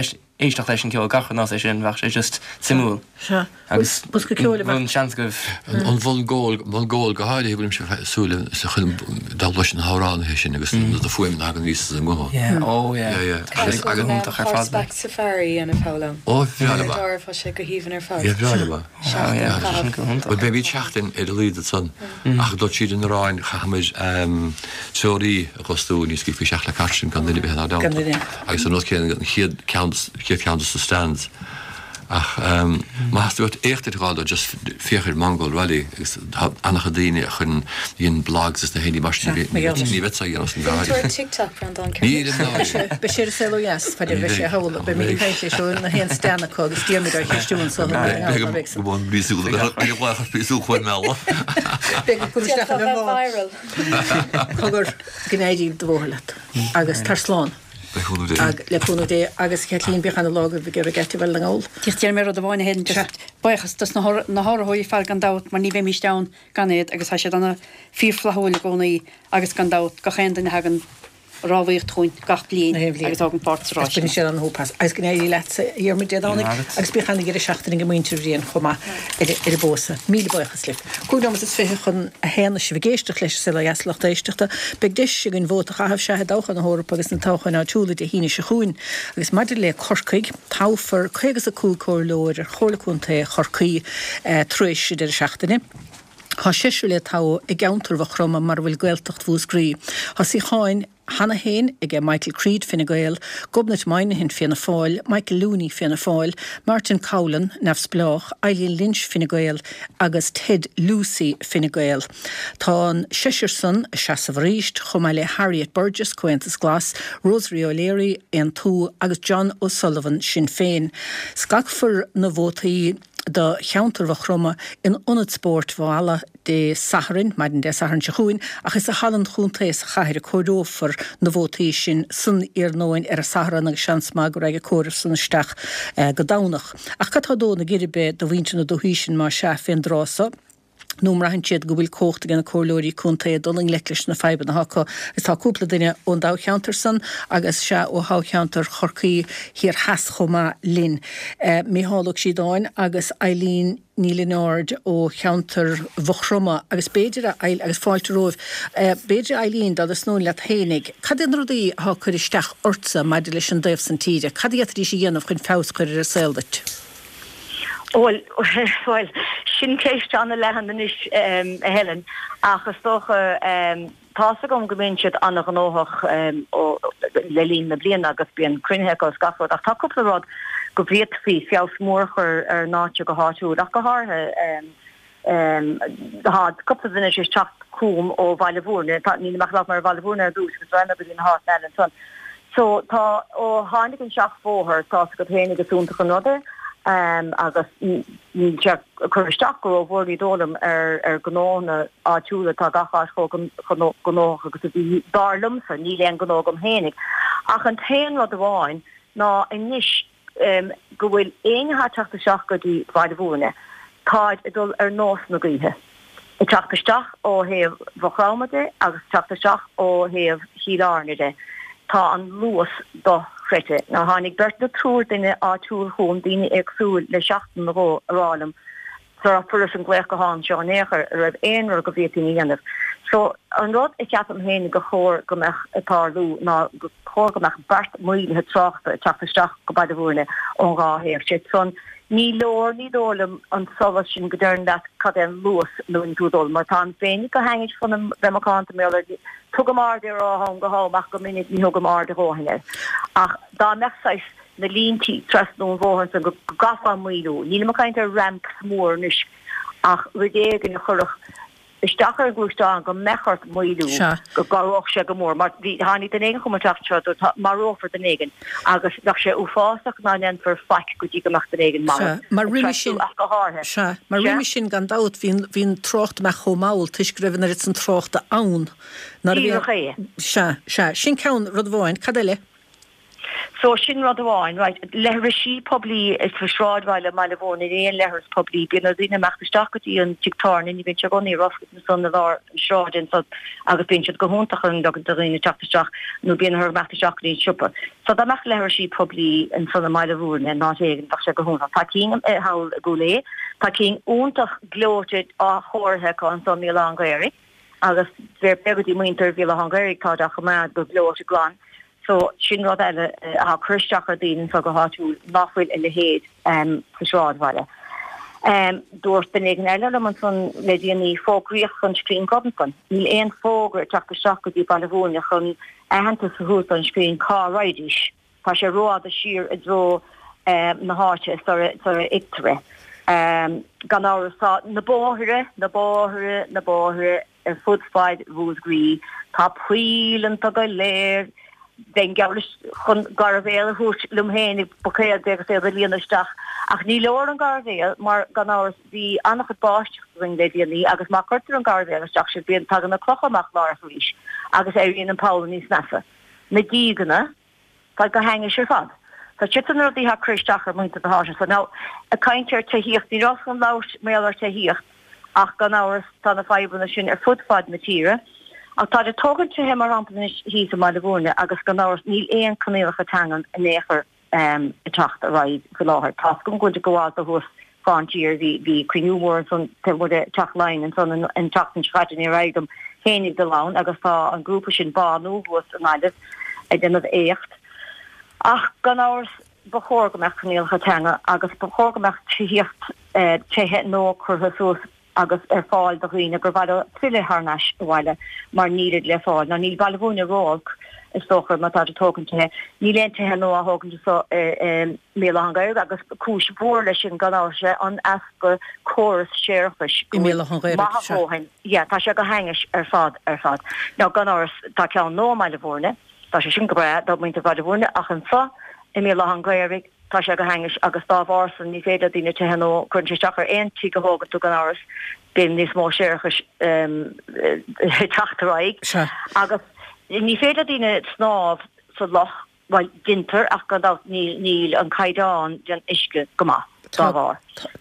éisteacht leis an ceol, gach rud nós é sin, bheadh sé just suimiúil. Sea. Agus Bosca ceoil a bheadh. an seans agaibh. An Mhongóil, Mongóil go háirithe, bhfuilimse ag súil le chun dul leis na hamhránaithe sin agus na fuaimeanna a thagann aníos as a nguth. Yeah, oh yeah. Yeah, yeah. Agus go iontach ar fad. Horseback safari a dhéanamh thall ann. Ó, bhreá liom é. Ar deireadh, tá sé go haoibhinn ar fad. Yeah, bhreá liom é. Seachtain a chaitheamh. Bhuel, beimid seachtain ar a laghad ansan. Ach ag dul tríd an Iaráin, chaithfimid treoraí a fhostú ní scaoilfí isteach le cairt sinn gan duine a bheith inár dteannta. Agus an rud céanna an chéad ceann, chéad cheann dos na stands. Ach má theastaíonn uait éacht a fháil dó, just féach ar Mongol Rally agus tá an-chuid daoine a chuireann, a dhéanann blogs is na héinní mar sin, ní bheadh a dhéanamh san Bhfuil tú ar TikTok, Breandán? Níl i ndáiríre. Beidh sé ar an saol ó dheas, fad a bheidh sé thall, beimid ag caint leis ó na haon stand acu agus Diarmuid á cheistiú anso. Beidh go bhfuil míosúil, beidh go bhfuil míosúil chomh meala. Beidh go isteach in a viral. Cogar go n-éirí do bhóthar leat agus tar slán. Le cúnamh Dé. Le cúnamh Dé agus Caitlín bíodh ana lá agaibh ag iarraidh ait a bheith le ngall. Just déarfaidh mé rud amháin a Helen, just buíochas dos na hurraitheoirí ar fad gan dabht mar ní bheimíst ann gan iad agus tá siad ana fíor-fhlaithiúil i gcónaí agus gan dabht gach aon duine a thagann rámhaíocht chugainn gach bliain agus a thógann páirt sa rás sin. Baineann siad an-shúp as. Agus go n-éirí leatsa, a Dhiarmuid, Dé Domhnaigh agus bíodh ana-dheireadh seachtaine ag muintir Bhriain chomh maith ar an bpósadh. Míle buíochas libh. 5 nóiméad is 20 chun a haon sibh ag éisteacht leis an Saol Ó Dheas lucht éisteachta. Beidh deis againn vóta a chaitheamh, sea, i dtoghcháin na hEorpa agus na toghcháin áitiúla Dé hAoine seo chugainn. Agus maidir le Corcaigh, toghfar 55 comhairleoir ar Chomhairle Contae Chorcaí tar éis an deireadh seachtaine. Tá seisear le toghadh i gceantar Mhaigh Chromtha mar a bhfuil Gaeltacht Mhúscraí. Tá suíocháin. cheana féin aige Michael Creed, Fine Gael, Gobnait Moynihan, Fianna Fáil, Michael Looney, Fianna Fáil, Martin Coughlan, Neamhspleách, Eileen Lynch, Fine Gael, agus Ted Lucey, Fine Gael. Tá an seisear san ag seasamh arís, chomh maith le Harriet Burgess, Comhaontas Glas, Rosemary O'Leary, Aontú, agus John O'Sullivan, Sinn Féin. Scagfar na vótaí do cheantar Mhaigh Chromtha in Ionad Spóirt Mhaigh Ealla Dé Sathairn, maidin Dé Sathairn seo chugainn, ach is i Halla an Chontae sa chathair a comhaireofar na vótaí sin san iarnóin ar an Satharn agus seans maith go raghaidh an comhaireamh san isteach go Domhnach. Ach cad tá ag dó na geirbe do mhuintir na dúthaí sin más ea fén dtráth so? Nó an mbraitheann siad go bhfuil cumhacht ag na comhairleoirí contae dul i ngleic leis na fadhbanna atá acu? Agus tá cúpla duine ón dtoghcheantar san agus sea ó thoghcheantar Chorcaí Thiar Theas chomh maith linn. Mícheál Ó Críodáin agus Eileen Ní Lionáird ó cheantar Mhaigh Chromtha agus b'fhéidir a agus fáilte romhaibh. B'fhéidir a Eileen dá dtosnóinn leat fhéinig, cad iad na rudaí atá ag cur isteach ortsa maidir leis an dtaobh san tíre? Cad a d'fhéadfaidís a dhéanamh chun feabhas a chur ar an saol duit? Bhuel, bhuel, sin ceist an-leathan anois, a Helen, ach is dócha, tá's agam go mbíonn siad an-ghnóthach le linn na bliana agus bíonn cruinnithe acu agus gach rud, ach tá cúpla rud go bhféadfaí feabhas mór a chur ar an áit seo go háitiúil, ach go háirithe. Tá cúpla duine tar éis teacht chugam ó Bhaile Bhúirne, tá, nílim ach ag labhairt mar Bhaile Bhúirne ar dtús agus raghaidh mé go dtí na háiteanna eile ansan. So tá, ó tháinig an seachbhóthar, tá's agat féinig is iontach an rud é agus níl sé ag cur isteach go rómhór ní dóigh liom ar ar gnóanna áitiúla, tá gach áit chomh gnóthach agus a bhí, dar liomsa, níl aon gnó agam féinig. Ach an t-aon rud amháin ná anois, go bhfuil éinne atá ag teacht isteach go dtí Baile Bhúirne, táid ag dul ar nós na gaoithe, ag teacht isteach ó thaobh Mhaigh Chromtha de agus ag teacht isteach ó thaobh Chill Airne de. Tá an luas dochreidte. Now tháinig beirt nó triúr duine áitiúil chugam, daoine éagsúil, le seachtain nó dhó a rá liom sara fuaireas an glaoch gutháin seo in aon chor, an raibh aon rud go bhféadfainn a dhéanamh. So, an rud a cheapaim féin gur chóir go mbeadh ag tarlú ná gur chóir go mbeadh beart maolaithe tráchta ag teacht isteach go Baile Bhúirne ón dhá thaobh. Sé san, ní leor, ní dóigh liom, an solas sin go deireann leat cad é an luas ina bhfuil tú ag dul, mar táim féinig go hainnis chun bheith macánta mar gheall air, tugaim aird air ó am go ham ach go minic ní thugaim aird a dhóthain air. Ach dá mbeadh saghas. na líntí trasna an bhóthair ansan go gcaithfeá maolú. Nílim ag caint ar ramps mór anois ach rud éigin a chuirfeadh isteach ar an gluaisteán go mbeadh ort maolú, go gcabhródh sé go mór. Mar bhí, tháinig duine éigin chugam an tseachtain seo a dúirt tá, marófar duine éigin agus bheadh sé uafásach ná ndéanfar faic go dtí go mbeadh duine éigin marbh. Sea, mar roimhe sin, ach go háirithe. Sea, mar roimhe sin gan dabht bhí an, bhí an trácht amach chomh mall toisc go raibh an oiread san tráchta ann. Nuair a bhí. Díreach é. Sea, sea, sin ceann, rud amháin. Cad eile? So, sin rud amháin, right. Leithrisí poiblí sa sráidbhaile i mBaile Bhúirne, níl aon leithreas poiblí. Bíonn ar dhaoine imeacht isteach go dtí an tigh tábhairne, ní bhíonn sé i gcónaí ar oscailt ansan i lár an sráide ansan agus bíonn siad go hiontach an do dhaoine teacht isteach nó bíonn orthu imeacht isteach go dtí an siopa. So dá mbeadh leithrisí poiblí ansan i mBaile Bhúirne in áit éigin bheadh sé go hiontach. Tá cinn thall i gCúil Aodha, tá cinn iontach gleoite athchóirithe acu ansan i mBéal Átha an Ghaorthaidh agus fair play go dtí muintir Bhéal Átha an Ghaorthaidh táid á choimeád go gleoite glan. So, sin rud eile atá ag cur isteach ar daoine anseo go háitiúil, nach bhfuil a leithéid sa sráidbhaile. Dúirt duine éigin eile liom ansan le déanaí, fógraíocht don Screen Club ansan. Níl aon fógra ag teacht isteach go dtí Baile Bhúirne chun aitheantas a thabhairt don Screen cá raghaidís. Tá sé rófhada siar i dtreo na háite sara bhfeictear é. Gan amhras tá na bóithre, na bóithre, na bóithre, Ar fud faid Mhúscraí tá poill iontu go léir. Bheinn geall leis chun gairbhéal a thabhairt liom féin i buicéad agus é a líonadh isteach. Ach ní leor an gairbhéal mar, gan amhras, bhí an-chuid báisteach againn le déanaí agus má cuirtear an gairbhéal isteach sin bíonn, tagann na clocha amach láithreach arís agus éiríonn an poll níos measa. Na dígeanna. Tá go hainnis ar fad. So siad san na rudaí atá ag cur isteach ar mhuintir na háite so. Now, ag caint ar tithíocht, ní rabhas chun labhairt mar gheall ar tithíocht ach gan amhras tá na fadhbanna sin ar fud fad na tíre. Ach táid ag tógaint tithe mar shampla anois thíos i mBaile Bhúirne agus gan amhras níl aon coinníollacha teangan in aon chor ag teacht ar aghaidh faoi láthair. Tá's agam go bhfuil ag gabháil do thuas fán tír. Bhí, bhí cruinniú mór ansan taobh amuigh de Teach Laighean ansan an, an tseachtain seo caite, níor éirigh dom féinig dul ann agus tá an grúpa sin Bánú thuas i nGaillimh ag déanamh éacht. Ach gan amhras ba chóir go mbeadh coinníollacha teanga agus ba chóir go mbeadh tithíocht, tithe nua curtha suas. agus ar fáil do dhaoine gur mhaith leo filleadh thar n-ais abhaile mar nílid le fáil. Now níl Baile Mhúirne ró-olc is dócha má táid ag tógaint tithe. Níl aon tithe nua á thógaint anso i mBéal Átha an Ghaorthaidh agus cúis mhór leis sin gan amhras is ea an easpa córas séarachais I mBéal Átha an go bhfuil Ghaorthaidh, maith a sea. dhóthain. Yeah, tá sé go hainnis ar fad ar fad. Now gan amhras tá ceann nua i mBaile Mhúirne, tá sé sin go breá do mhuintir Bhaile Mhúirne ach anso i mBéal Átha an Ghaorthaidh, Tá sé go hainnis agus dá bharr san ní féidir le daoine tithe nua, cuireann sé isteach ar aon tigh a thógann tú gan amhras, bíonn níos mó séarachais ag teacht ar aghaidh agus ní féidir le daoine snámh sa loch, bhuel deintear ach gan dabht níl an caighdeán den uisce go maith dá bharr.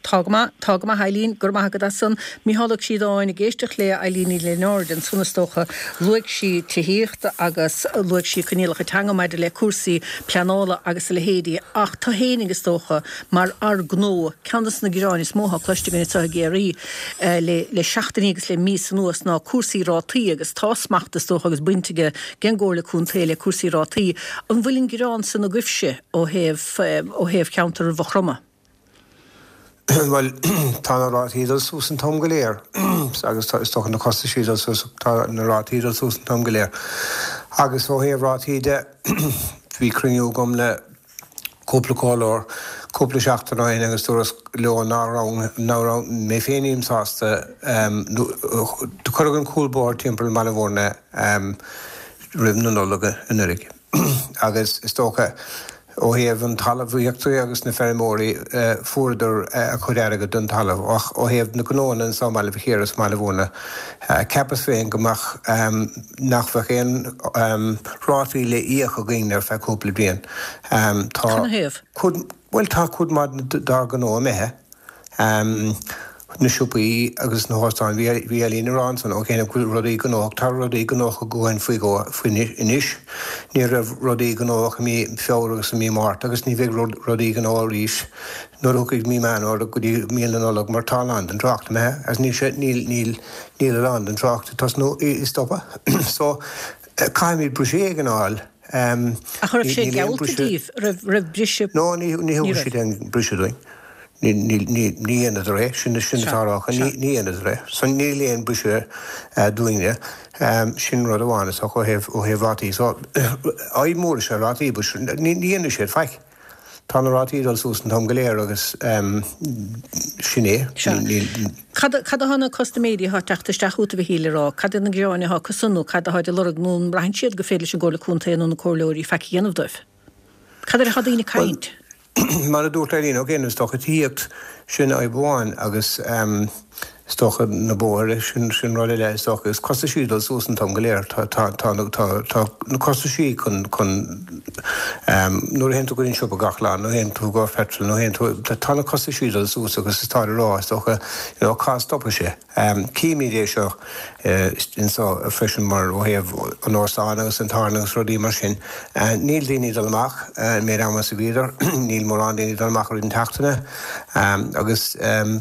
Tá go maith, tá go maith Eileen, go raibh maith agat as san. Mícheál Ó Críodáin, ag éisteacht le Eileen Ní Lionáird ansan is dócha, luaigh sí tithíocht agus luaigh sí coinníollacha teanga maidir le cúrsaí pleanála agus a leithéidí ach tú fhéinig is dócha mar fhear gnó, ceann des na gearáin is mó atá cloiste againn anseo i gCiarraí le le seachtainí agus le míosa anuas ná cúrsaí rátaí agus tá smacht is dócha agus baint ag an gComhairle Contae le cúrsaí rátaí. An bhfuil an gearán san agaibhse ó thaobh ó thaobh cheantar Mhaigh Chromtha? Bhuel, tá na rátaí ag dul suas an t-am go léir agus tá, is dócha na costaisí ag dul suas, tá na rátaí ag dul suas an t-am go léir. Agus ó thaobh rátaí de, bhí cruinniú agam le cúpla comhairleoir cúpla seachtain ó shin agus dúras leo ná raibh, ná raibh mé féin nílim sásta, do cuireadh an cúl bóthair timpeall Bhaile Mhúirne roimh na Nollag anuraidh. Agus is dócha, ó thaobh an talmhaíochta agus na feirmeoirí, fuaireadar a chuid airgid don talamh. Ach ó thaobh na gnóanna anso i mBaile Mhic Íre is i mBaile Mhúirne, cheapas féin go mbeadh, nach bheadh aon rátaí le íoc againn ar feadh cúpla bliain. Tá Canathaobh? cuid, bhuel tá cuid maith dár ngnó imithe. Na siopaí agus na hóstáin, bhí Eileen ag rá ansan, ok, go bhfuil rudaí gnóthach, tá rudaí gnóthach againn faoi dhó faoi anois. Ní raibh rudaí gnóthach i mí Feabhra agus i mí Márta agus ní bheidh rudaí gnóthach arís nuair a thiocfaidh mí Meán Fhómhair go dtí mí na Nollag mar tá a lán den trácht imithe agus níl sé, níl, níl, níl a lán den trácht ag tosnú, ag stopadh. So, caithfimid briseadh éigin a fháil. Ach raibh sé geallta díbh? Raibh, raibh briseadh? No, ní, ní thug siad aon briseadh dúinn. Ní, ní, ní, ní dhéanadar é, sin, sin atá á rá acu, ní, ní dhéanadar é. So níl aon briseadh dúinne. Sin rud amháin is dócha ó thaobh, ó thaobh rátaí. So, fadhb mhór is ea rátaí, but ní, ní dhéanfaidh siad faic. Tá na rátaí ag dul suas an t-am go léir agus sin é. Sea. Cad, cad atá na custaiméirí atá ag teacht isteach chugat, a Mhichíl, ag rá? Cad iad na gearáin atá acusan nó cad atáid ag lorg nó an mbraitheann siad gur féidir leis an gComhairle Contae nó na comhairleoirí faic a dhéanamh dóibh? Cad air atá daoine ag caint? Mar a dúirt Eileen Ó is dócha tithíocht, sin fhadhb amháin agus is dócha na bóithre, sin sin rud eile is dócha. Is costaisí ag dul suas an t-am go léir. Tá tá tá tá tá na costaisí chun chun nuair a théann tú go dtí an siopa gach lá, nuair a théann tú go petrol, nuair a théann tú, tá na costaisí ag dul suas agus is táid ag rá is dócha you know cá stopfaidh sé. Címid é seo anseo freisin mar ó thaobh an óstáin agus an tábhairne agus rudaí mar sin, níl daoine ag dul amach an méid ama is a bhíodar, níl mórán daoine ag dul amach i rith na seachtaine agus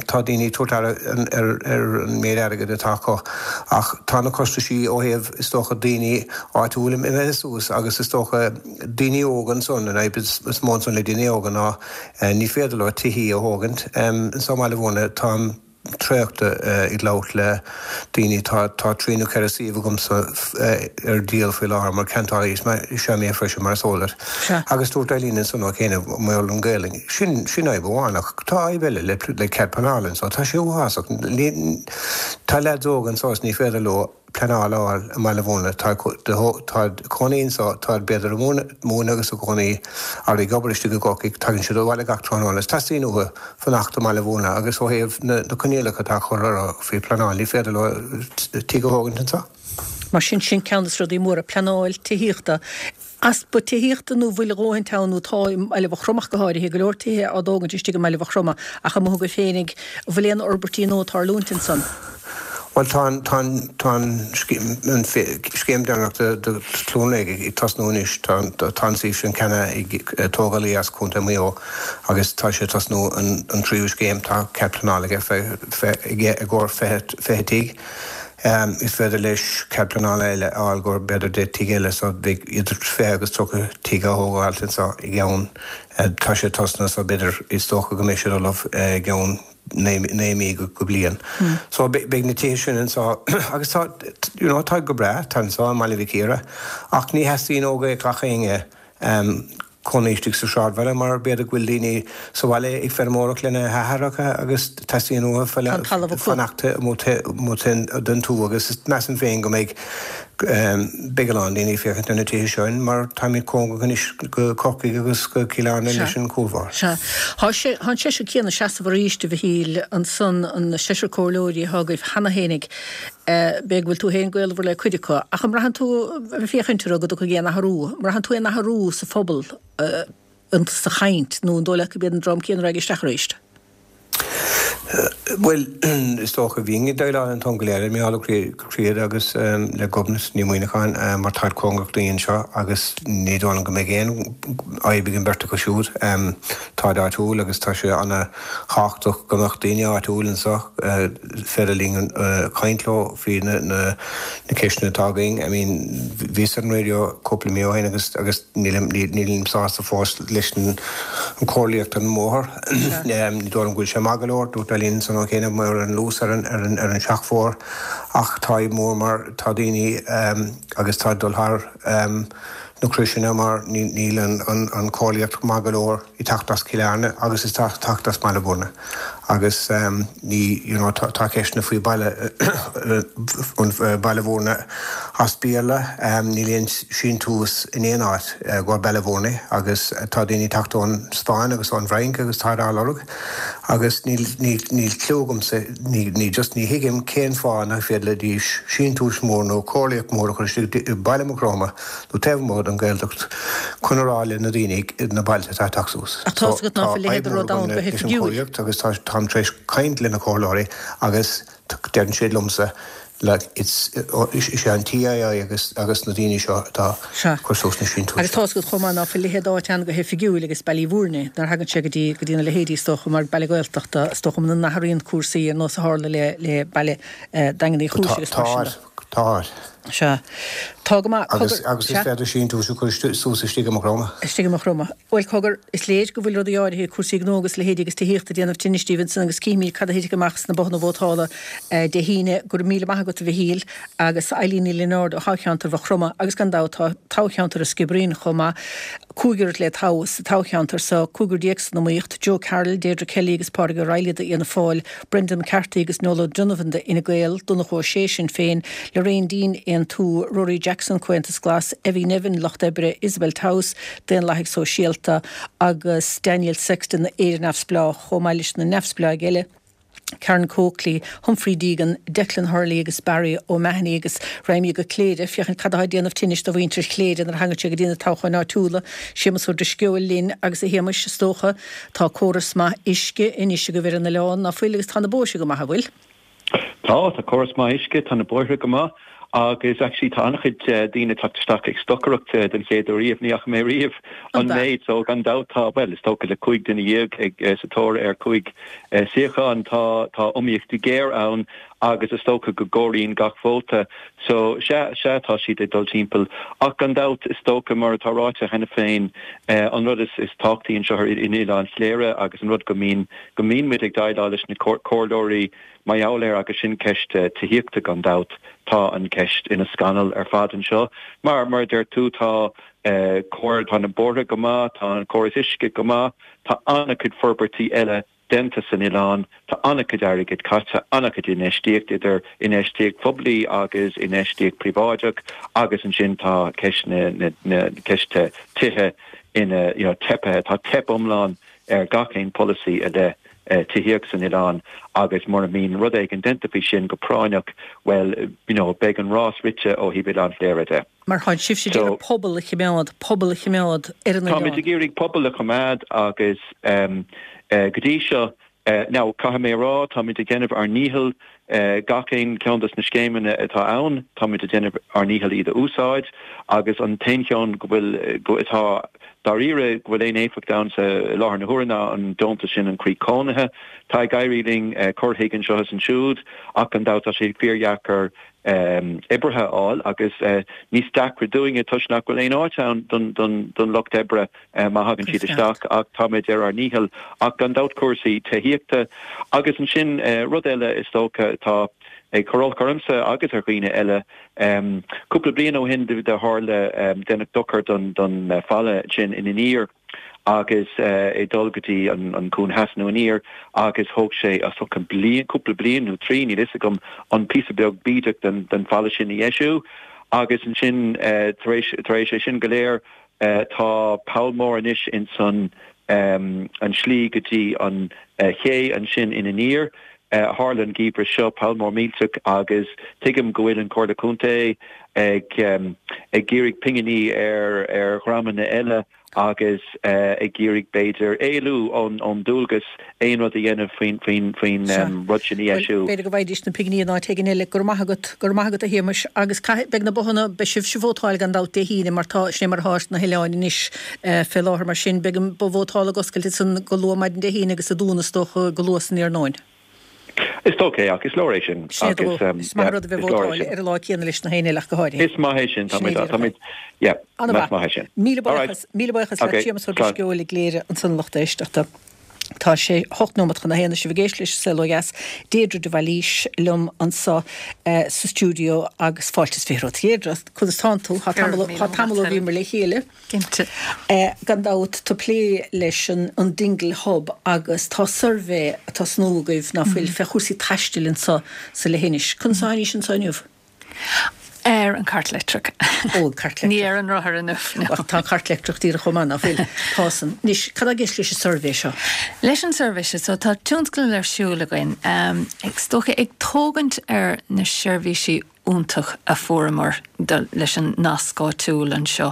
tá daoine ag tabhairt aire ar an méid airgid atá acu ach tá na costaisí ó thaobh is dócha daoine áitiúil imithe suas agus is dócha daoine óga ansan, an fhadhb is mó ansan le daoine óga ná ní féidir leo tithí a thógaint. Anseo i mBaile Mhúirne tá traochta ag labhairt le daoine. Tá 3 nó 4 suíomh agamsa ar díol faoi láthair mar ceantálaí is ea mé freisin mar is eol duit. Agus dúirt Eileen ansan ó chianaibh mar gheall ar an Ghaelainn. Sin sin fhadhb amháin ach tá fhadhb eile le le cead pleanála anseo. Tá sé uafásach. Tá leaids óga anseo is ní féidir leo pleanáil a fháil i mBaile Mhúirne. Tá táid ag cónaí anseo, táid b'fhéidir ag múineadh agus ag cónaí or ag obair istigh i gCorcaigh, tagann siad abhaile gach tráthnóna is teastaíonn uathu fanacht i mBaile Mhúirne agus ó thaobh na coinníollacha atá curtha orthu faoi pleanáil ní féidir leo tigh a thógaint anseo. Mar sin, sin ceann de na rudaí móra, pleanáil tithíochta. Easpa tithíochta nó bhfuil a dhóthaint ann nó tá i mBaile Mhaigh Chromtha ach go háirithe, go leor tithe á dtógaint istigh i mBaile Mhaigh Chromtha ach amuigh agaibh féinig, an bhfuil aon fhorbairtí nua ag tarlúint ansan? Bhuel tá an, tá an, tá an scéim, an scéim deireanach de, de Chluain Réidh ag tosnú anois. Tá, tá an suíomh sin ceannaithe ag tógálaí as Contae Mhaigh Eo agus tá sé ag tosnú an, an tríú scéim. Tá cead pleanála aige, aige i gcomhair 20, 20 tigh. Is féidir leis cead pleanála eile a fháil go b'fhéidir 10 tigh eile so beidh idir 20 agus 30 tigh á thógáilt anseo i gceann, tá sé tosnaithe so b'fhéidir is dócha go mbeidh siad ullamh i gceann 9 mí go bliain. So beidh na tithe sin anseo agus tá, you know, tá go breá, tá anseo i mBaile Mhic Íre ach ní theastaíonn ó gach éinne cónaí istigh sa sráidbhaile mar b'fhéidir go bhfuil daoine sa bhaile ag feirmeoireacht lena hathaireacha agus teastaíonn uathu fanacht amuigh den tuath agus measaim féin go mbeidh beidh a lán daoine ag féachaint ar na tithe seo mar táimid cóngarach anois go Corcaigh agus go Cill Airne leis an gcuarbhóthar. Sea. Tá sé, tá an seisear céanna ag seasamh arís, a Mhichíl, ansan, an seisear comhairleoirí atá agaibh cheana fhéinig. B'fhéidir go bhfuil tú féin gaolmhar le cuid acu, ach an mbraitheann tú, ag féachaint orthu, go dtiocfaidh aon athrú? An mbraitheann tú aon athrú sa phobal, sa chaint, nó an dóigh leat gurb iad an dream céanna a raghaidh isteach arís? Bhuel, is dócha, bhínn ag déileáil an t-am go léir le Mícheál Ó Críoda agus le Gobnait Ní Mhuineacháin mar táid cóngarach dúinn anseo agus ní dóigh liom go mbeidh aon fhadhb ag an bheirt acu siúd. Táid áitiúil agus tá sé ana-thábhachtach go mbeadh daoine áitiúil anseo. féidir linn caint leo faoi na ceisteanna atá againn. I mean, bhíos ar an raidió cúpla mí ó shin agus agus nílim nílim sásta fós leis an chomharthaíocht ar an mbóthar. Ní dóigh liom go bhfuil sé maith go leor, dúirt Eileen ansan ó chianaibh mar an luas ar an ar an ar an seachbhóthar ach tá fadhb mór mar tá daoine agus tá ag dul thar na croiseanna mar níl an an chomharthaíocht maith go leor. ag teacht as Cill Airne agus ag teacht as Baile Bhúirne agus ní you know tá ceisteanna faoi Baile Baile Bhúirne as Béarla níl aon síntiús in aon áit go Baile Bhúirne agus tá daoine ag teacht ón Spáinn agus ón bhFrainc agus táid á lorg agus níl níl níl clue agamsa ní ní just ní thuigim cén fáth nach bhféadfaidís síntiús mór nó comharthaíocht mór a chur istigh i Baile Mhucroma nó taobh amuigh den Ghaeltacht chun a rá le na daoine na bailte atá ag teacht suas. Ach tá 's agat ná fuil a leithéid de rud ann go hoifigiúil. Agus táim tar éis caint le na comhairleoirí agus deireann siad liomsa like it's is é an TII agus agus na daoine seo atá ag cur suas na síntiúis Agus tá 's agat chomh maith ná fuil a leithéid d'áit ann go hoifigiúil agus Ballyvourney nuair a thagann sé go dtí go dtí na leithéidí is dócha mar baile Gaeltachta is dócha muna n-athraíonn cúrsaí ar nós a tharla le le baile Daingean Uí Chúis agus mar sin de. Tá. Sea. Tá go maith. Cogar. Agus, agus is féidir síntiús a chur suas istigh i Maigh Chromtha. Istigh i Maigh Chromtha. Bhuel, cogar, is léir go bhfuil rudaí áirithe, cúrsaí gnó agus leithéidí agus tithíochta ag déanamh tinnis daoibh ansan agus cífimid cad a thitfidh amach sna bothanna vótála Dé hAoine. Go raibh míle maith agat, a Mhichíl, agus Eileen Ní Lionáird ó thoghcheantar Mhaigh Chromtha agus gan dabht tá toghcheantar an Sciobairín chomh maith. Cúigear le toghadh sa toghcheantar so, cúigear déag san iomaíocht, Joe Carroll, Deirdre Kelly agus Pádraig Ó Raghallaigh d'Fhianna Fáil, Brendan McCarthy agus Noel O'Donovan d'Fhine Gael, Donnchadh Ó Sé, Sinn Féin, Lorraine Deane, Aontú, Ruairí Jackson, Comhaontas Glas, Evie Nevin, Lucht Oibre, Isabel Towse, Daonlathaigh Sóisialta, agus Daniel Sexton, Éire Neamhspleách, chomh maith leis na neamhspleáigh eile, Karen Coakley, Humphrey Deegan, Declan Hurley agus Barry O'Mahony agus raghaimid go Cléire féachaint cad atá ag déanamh tinnis do mhuintir Chléire nuair a thagann sé go dtí na toghcháin áitiúla. Séamus Ó Drisceoil linn agus a Shéamais, is dócha, Tá córas maith uisce anois agaibh ar an oileán, ná fuil, agus tá na bóithre go maith, an bhfuil? Tá, tá córas maith uisce, tá na bóithre go maith agus actually tá an-chuid daoine ag teacht isteach ag stocaireacht den chéad uair riamh, ní fhaca mé riamh an méid so gan dabht tá, bhuel is dócha le 15 duine ag sa tóir ar 5 suíochán tá tá iomaíocht ghéar ann agus is dócha go gcomhairíonn gach vóta. So, sea, sea, tá siad ag dul timpeall. Ach gan dabht, is dócha, mar atá ráite cheana féin, an rud is is tábhachtaí anseo in Oileán Chléire agus an rud go mbíonn, go mbíonn muid ag déileáil leis na comhairleoirí mar gheall air agus sin ceist tithíochta gan dabht. Tá an cheist ina scannal ar fad anseo. Mar, mar a deir tú, tá cóir, tá na bóithre go maith, tá an córas uisce go maith, tá an-chuid forbairtí eile déanta san oileán. Tá an-chuid airgid caite, an-chuid infheistíocht, idir infheistíocht phoiblí agus infheistíocht phríobháideach agus ansin tá ceist na, na, ceist tithe ina, you know, teipthe. Tá teip iomlán ar gach aon polasaí i leith tithíocht san oileán agus mura mbíonn rud éigin déanta faoi sin go práinneach, bhuel, you know, beidh an rás rite ó thaobh Oileán Chléire de. Mar tá sibhse ag iarraidh pobal a choimeád, pobal a choimeád ar an oileán. Táimid ag iarraidh pobal a choimeád agus go dtí seo, now caithfidh mé a rá, táimid ag déanamh ár ndícheall. Gach aon cheann dos na scéimeanna atá ann, táimid ag déanamh ár ndícheall iad a úsáid agus an t-aon cheann go bhfuil, atá dáiríre, go bhfuil aon éifeacht ann sa, i láthair na huaire ná an deontas sin, an Croí Cónaithe. Tá ag éirí linn cur chuige anseo is ansiúd ach gan dabht tá sé fíordheacair oibrithe a fháil agus níos deacra dúinne toisc nach bhfuil aon áit ann don lucht oibre má thagann siad isteach ach táimid ar ár ndícheall ach gan dabht cúrsaí tithíochta agus ansin rud eile is dócha atá ag cur olc ormsa agus ar dhaoine eile cúpla bliain ó shin do tharla déanadh dochar don falla sin in Aniar. agus ag dul go dtí an Cuan Theas nó aniar agus thóg sé is dócha bliain, cúpla bliain nó trí, níl fhios agam, an píosa beag bídeach den falla sin a dheisiú agus ansin tar éis, tar éis é sin go léir tá poll mór anois ins an an slí go dtí an ché ansin in Aniar. Tharla an geimhreadh seo, poll mór millteach agus tuigim go bhfuil an Chomhairle Contae ag ag iarraidh pinginí ar ar dhreamanna eile agus ag iarraidh b'fhéidir éalú ón ón dualgas aon rud a dhéanamh faoin faoin faoin rud sin a dheisiú. B'fhéidir go bhfaighidís na pinginí in áit éigin eile. Go raibh maith agat, go raibh maith agat a Shéamais. Agus caithfidh, beidh na bothanna, beidh sibhse ag vótáil gan dabht Dé hAoine mar tá, sin é mar atá ar na hoileáin anois fé láthair mar sin beidh an both vótála ag oscailt ansan go luath maidin Dé hAoine agus ag dúnadh is dócha go luath san iarnóin. Is dócha é, ach is leor é sin. Sin é agus, um, is maith an rud a bheith ag vótáil ar an lá céanna leis na héinne eile ach go háirithe. Is maith é sin, táimid, táimid, yeah, is maith é sin. Míle buíochas, míle buíochas le Séamus Ó Drisceoil i gCléire ansan lucht éisteachta. Tá sé 8 nóiméad chun a haon, sibh ag éisteacht leis an Saol Ó Dheas, Deirdre de Bhailís liom anso sa stiúideo agus fáilte is 20 romhat. Deirdre, conas tánn tú? Tá tamall ó bhíomar le chéile. Cinnte. Gan dabht, tú ag plé leis an Dingle Hub agus tá suirbhé ag tosnú agaibh, ná fuil, fé chúrsaí taistil anso sa leithinis. Conas a tháinís anso inniu? Ar an cairt leictreach. Ó, an cairt leictreach. Ní ar an rothar inniu, no. Ach tá an cairt leictreach díreach chomh maith, ná fuil? Tá san. Anois, cad tá i gceist leis an suirbhé seo? Leis an suirbhé seo, so tá tionscadal ar siúl againn, is dócha ag tógaint ar na seirbhísí iontach a fuaireamar leis an nasc áitiúil anseo.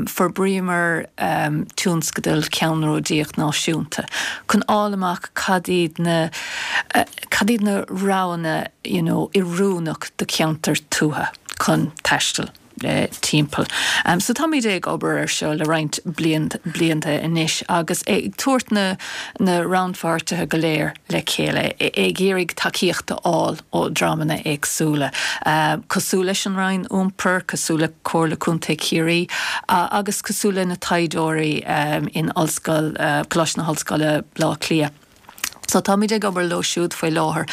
Forbraíomar tionscadal ceannródaíoch náisiúnta chun fháil amach cad iad na cad iad na roghanna you know oiriúnach do cheantar tuaithe chun taisteal. timpeall. So táimid ag obair ar seo le roinnt blianta anois agus ag tabhairt na na rannpháirtithe go léir le chéile, ag iarraidh tacaíocht a fháil ó dreamanna éagsúla, cosúil leis an Roinn Iompair, cosúil le Comhairle Contae Chiarraí agus cosúil le na taighdeoirí in Ollscoil, Coláiste na hOllscoile, Baile Átha Cliath. So táimid ag obair leo siúd faoi láthair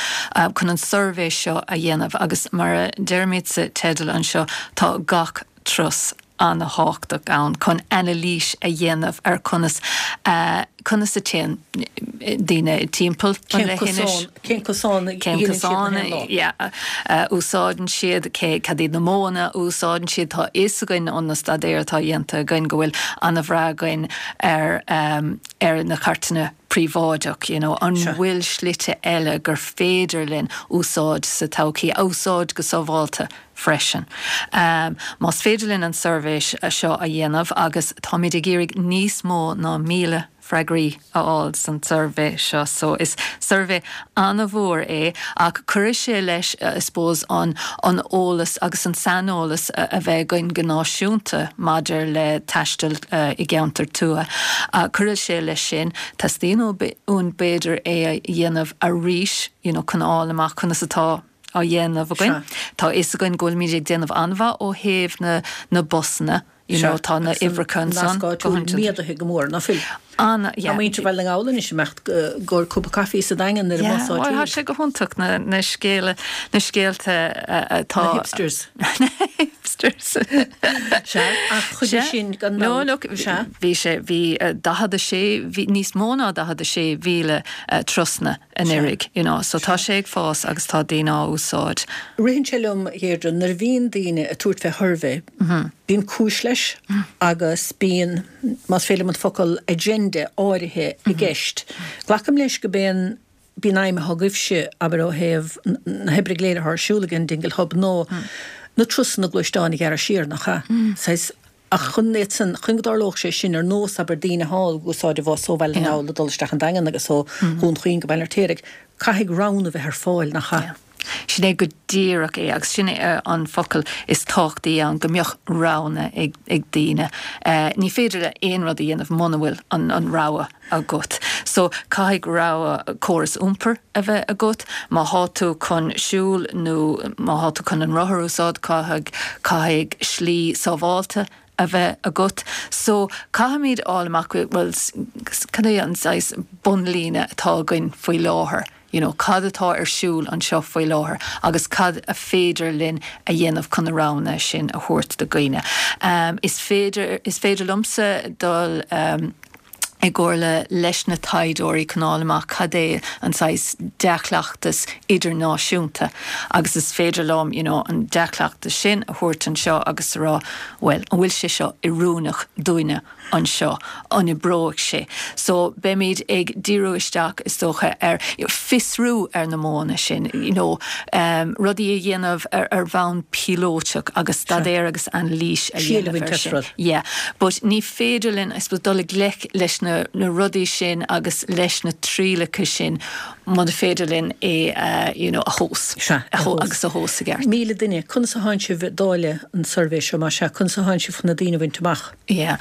chun an suirbhé seo a dhéanamh agus mar a deirimid sa teideal anseo, tá gach turas an-thábhachtach ann chun anailís a dhéanamh ar conas conas a téann daoine timpeall an leithinis. Cén cosán a dhéanann siad na haon lá? Yeah, a úsáideann siad, cé, cad iad na modhanna a úsáideann siad. Tá a fhios againn ó na staidéir atá dhéanta againn go bhfuil an-bhrath againn ar ar na cairteanna príobháideach, you know, an bhfuil slite eile gur féidir linn úsáid sa todhchaí, a úsáid go sábháilte freisin. Más féidir linn an suirbhé seo a dhéanamh, agus táimid ag iarraidh níos mó ná 1,000 freagraí a fháil san tsuirbhé seo, so is suirbhé an-mhór é ach cuirfidh sé leis, I suppose, an an eolas agus an saineolas a bheith againn go náisiúnta maidir le taisteal i gceantar tuaithe. Cuirfidh sé leis sin. Teastaíonn uainn b'fhéidir é a dhéanamh arís you know chun a fháil amach conas atá á dhéanamh againn. Tá a fhios againn go bhfuilimid ag déanamh an-mhaith ó thaobh na na busanna. You know, tá na uimhreacha ansan. Nasc áitiúil méadaithe go mór, ná fuil? An, yeah. Tá muintir Bhaile na nGall anois ag imeacht i gcomhair cupa caife sa Daingean ar an mbus áitiúil. Yeah, bhuel, tá sé go hiontach na, na scéala, na scéalta atá. Na hipsters. Na hipsters. Sea, ach chuige sin gan dabht. No, look, bhí sé, bhí 46, bhí níos mó ná 46,000 turasanna anuraidh, you know, so tá sé ag fás agus tá daoine á úsáid. Ritheann sé liom, a Dheirdre, nuair a bhíonn daoine ag tabhairt fé shuirbhé, bíonn cúis leis agus bíonn, más féidir liom an focal agenda áirithe i gceist. Glacaim leis go b'é an b'í an aidhm atá agaibhse, abair ó thaobh na hoibre go léir atá ar siúl ag an Dingle Hub, ná na turasanna gluaisteáin a ghearradh siar, nach ea? Saghas. Ach chun iad san, chun go dtarlódh sé sin, ar nós, abair, daoine thall ag úsáid an bhus ó Bhaile na nGall ag dul isteach an Daingean agus ó Dhún Chaoin go Baile an Fheirtéaraigh, caithfidh roghanna bheith ar fáil, nach ea? Sin é go díreach é agus sin é an focal is tábhachtaí ann, go mbeadh roghanna ag daoine. Ní féidir le aon rud a dhéanamh muna bhfuil an rogha agat. So caithfidh rogha córas iompair a bheith agat. Má thá tú chun siúl nó má thá tú chun an rothar a úsáid, caithfidh, caithfidh slí sábháilte a bheith agat. So caithfimid fháil amach, bhuel, cad é an saghas bunlíne atá againn faoi láthair, you know, cad atá ar siúl anseo faoi láthair agus cad a féidir linn a dhéanamh chun na roghanna sin a thabhairt do dhaoine. Is féidir, is féidir liomsa dul i gcomhairle leis na taighdeoirí chun fháil amach cad é an saghas dea-chleachtas idirnáisiúnta agus is féidir liom, you know, an dea-chleachtas sin a thabhairt anseo agus a rá, bhuel, an bhfuil sé seo oiriúnach dúinne anseo, an oibreoidh sé? So, beimid ag díriú isteach, is dócha, ar fiosrú ar na modhanna sin, you know, rudaí a dhéanamh ar bhonn píolótach agus staidéar agus anailís a dhéanamh air sin. Yeah, but ní féidir linn, I suppose, dul i ngleic leis na rudaí sin agus leis na trialacha sin muna féidir linn é a, you know, a thomhas. Sea, a thomhas. Agus a thomhas i gceart. 1,000 duine, conas a thánn sibh ag dáileadh an suirbhé seo, más ea, conas a thánn sibh chun na daoine a bhaint amach? Yeah.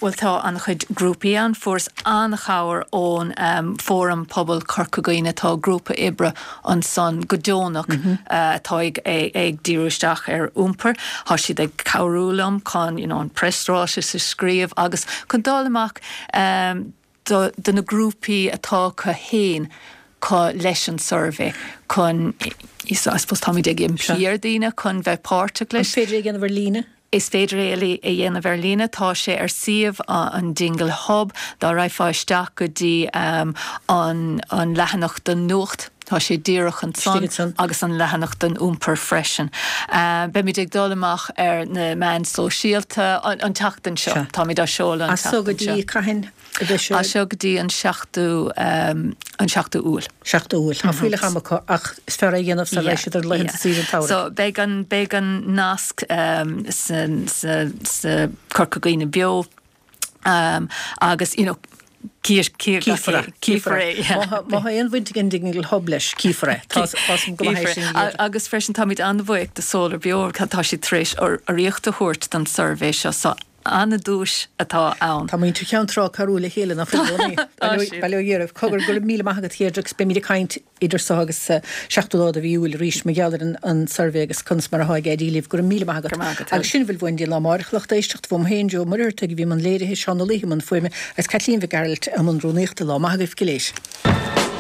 Bhuel tá an-chuid grúpaí ann. Fuaireas an-chabhair ón Fóram Pobail Chorca Dhuibhne. Tá grúpa oibre ansan go deonach atá ag ag díriú isteach ar iompar. Tá siad ag cabhrú liom chun you know an preasráiteas a scríobh agus chun dul amach do do na grúpaí atá acu féin leis an suirbhé chun I suppose táimid ag impí ar daoine chun bheith páirteach leis. An féidir é a dhéanamh ar líne? Is féidir é a dhéanamh ar líne. Tá sé ar suíomh an Dingle Hub. Dá raghfá isteach go dtí an an leathanach don nuacht, tá sé díreach ansan agus an leathanach don iompar freisin. Beimid ag dul amach ar na meáin sóisialta an tseachtain seo. Táimid á seoladh an tseachtain seo. As seo go dtí cathain? a bheidh sé. As seo go dtí an seachtú, an seachtú Iúil. Seachtú Iúil. Tá fuílleach ama acu ach is fearr é a dhéanamh sara raghaidh siad ar laethanta saoire an tsamhraidh. So beidh an, beidh an nasc sa, sa, sa Corca Dhuibhne Beo agus you know cífear é. Cífear é. Má tá aon bhaint ag an Dingle Hub leis, cífear é. Tá fhios go maith é sin a dhéanamh. Agus freisin táimid an-bhuíoch de Solar Beo, tá siad tar éis urraíocht a thabhairt don suirbhé seo so An-duais atá ann. Tá muintir Cheann Trá ag cabhrú le chéile, nach bhfuil i gcónaí? Tá siad. Bail ó Dhia oraibh. Cogar, go raibh míle maith agat, a Dheirdre, agus beimid ag caint idir seo agus 7ú lá de mhí Iúil arís mar gheall ar an suirbhé agus conas mar atá ag éirí libh. Go raibh míle maith agat. Go raibh maith agat. Agus sin a bhfuil uainn go dtí an lá amárach, a lucht éisteachta. Uaim féin, Joe Ó Muircheartaigh, a bhí i mbun léirithe, Seán Ó Laoithe i mbun fuaime agus Caitlín Mhic Gearailt i mbun rúnaíochta. Lá maith agaibh go léir.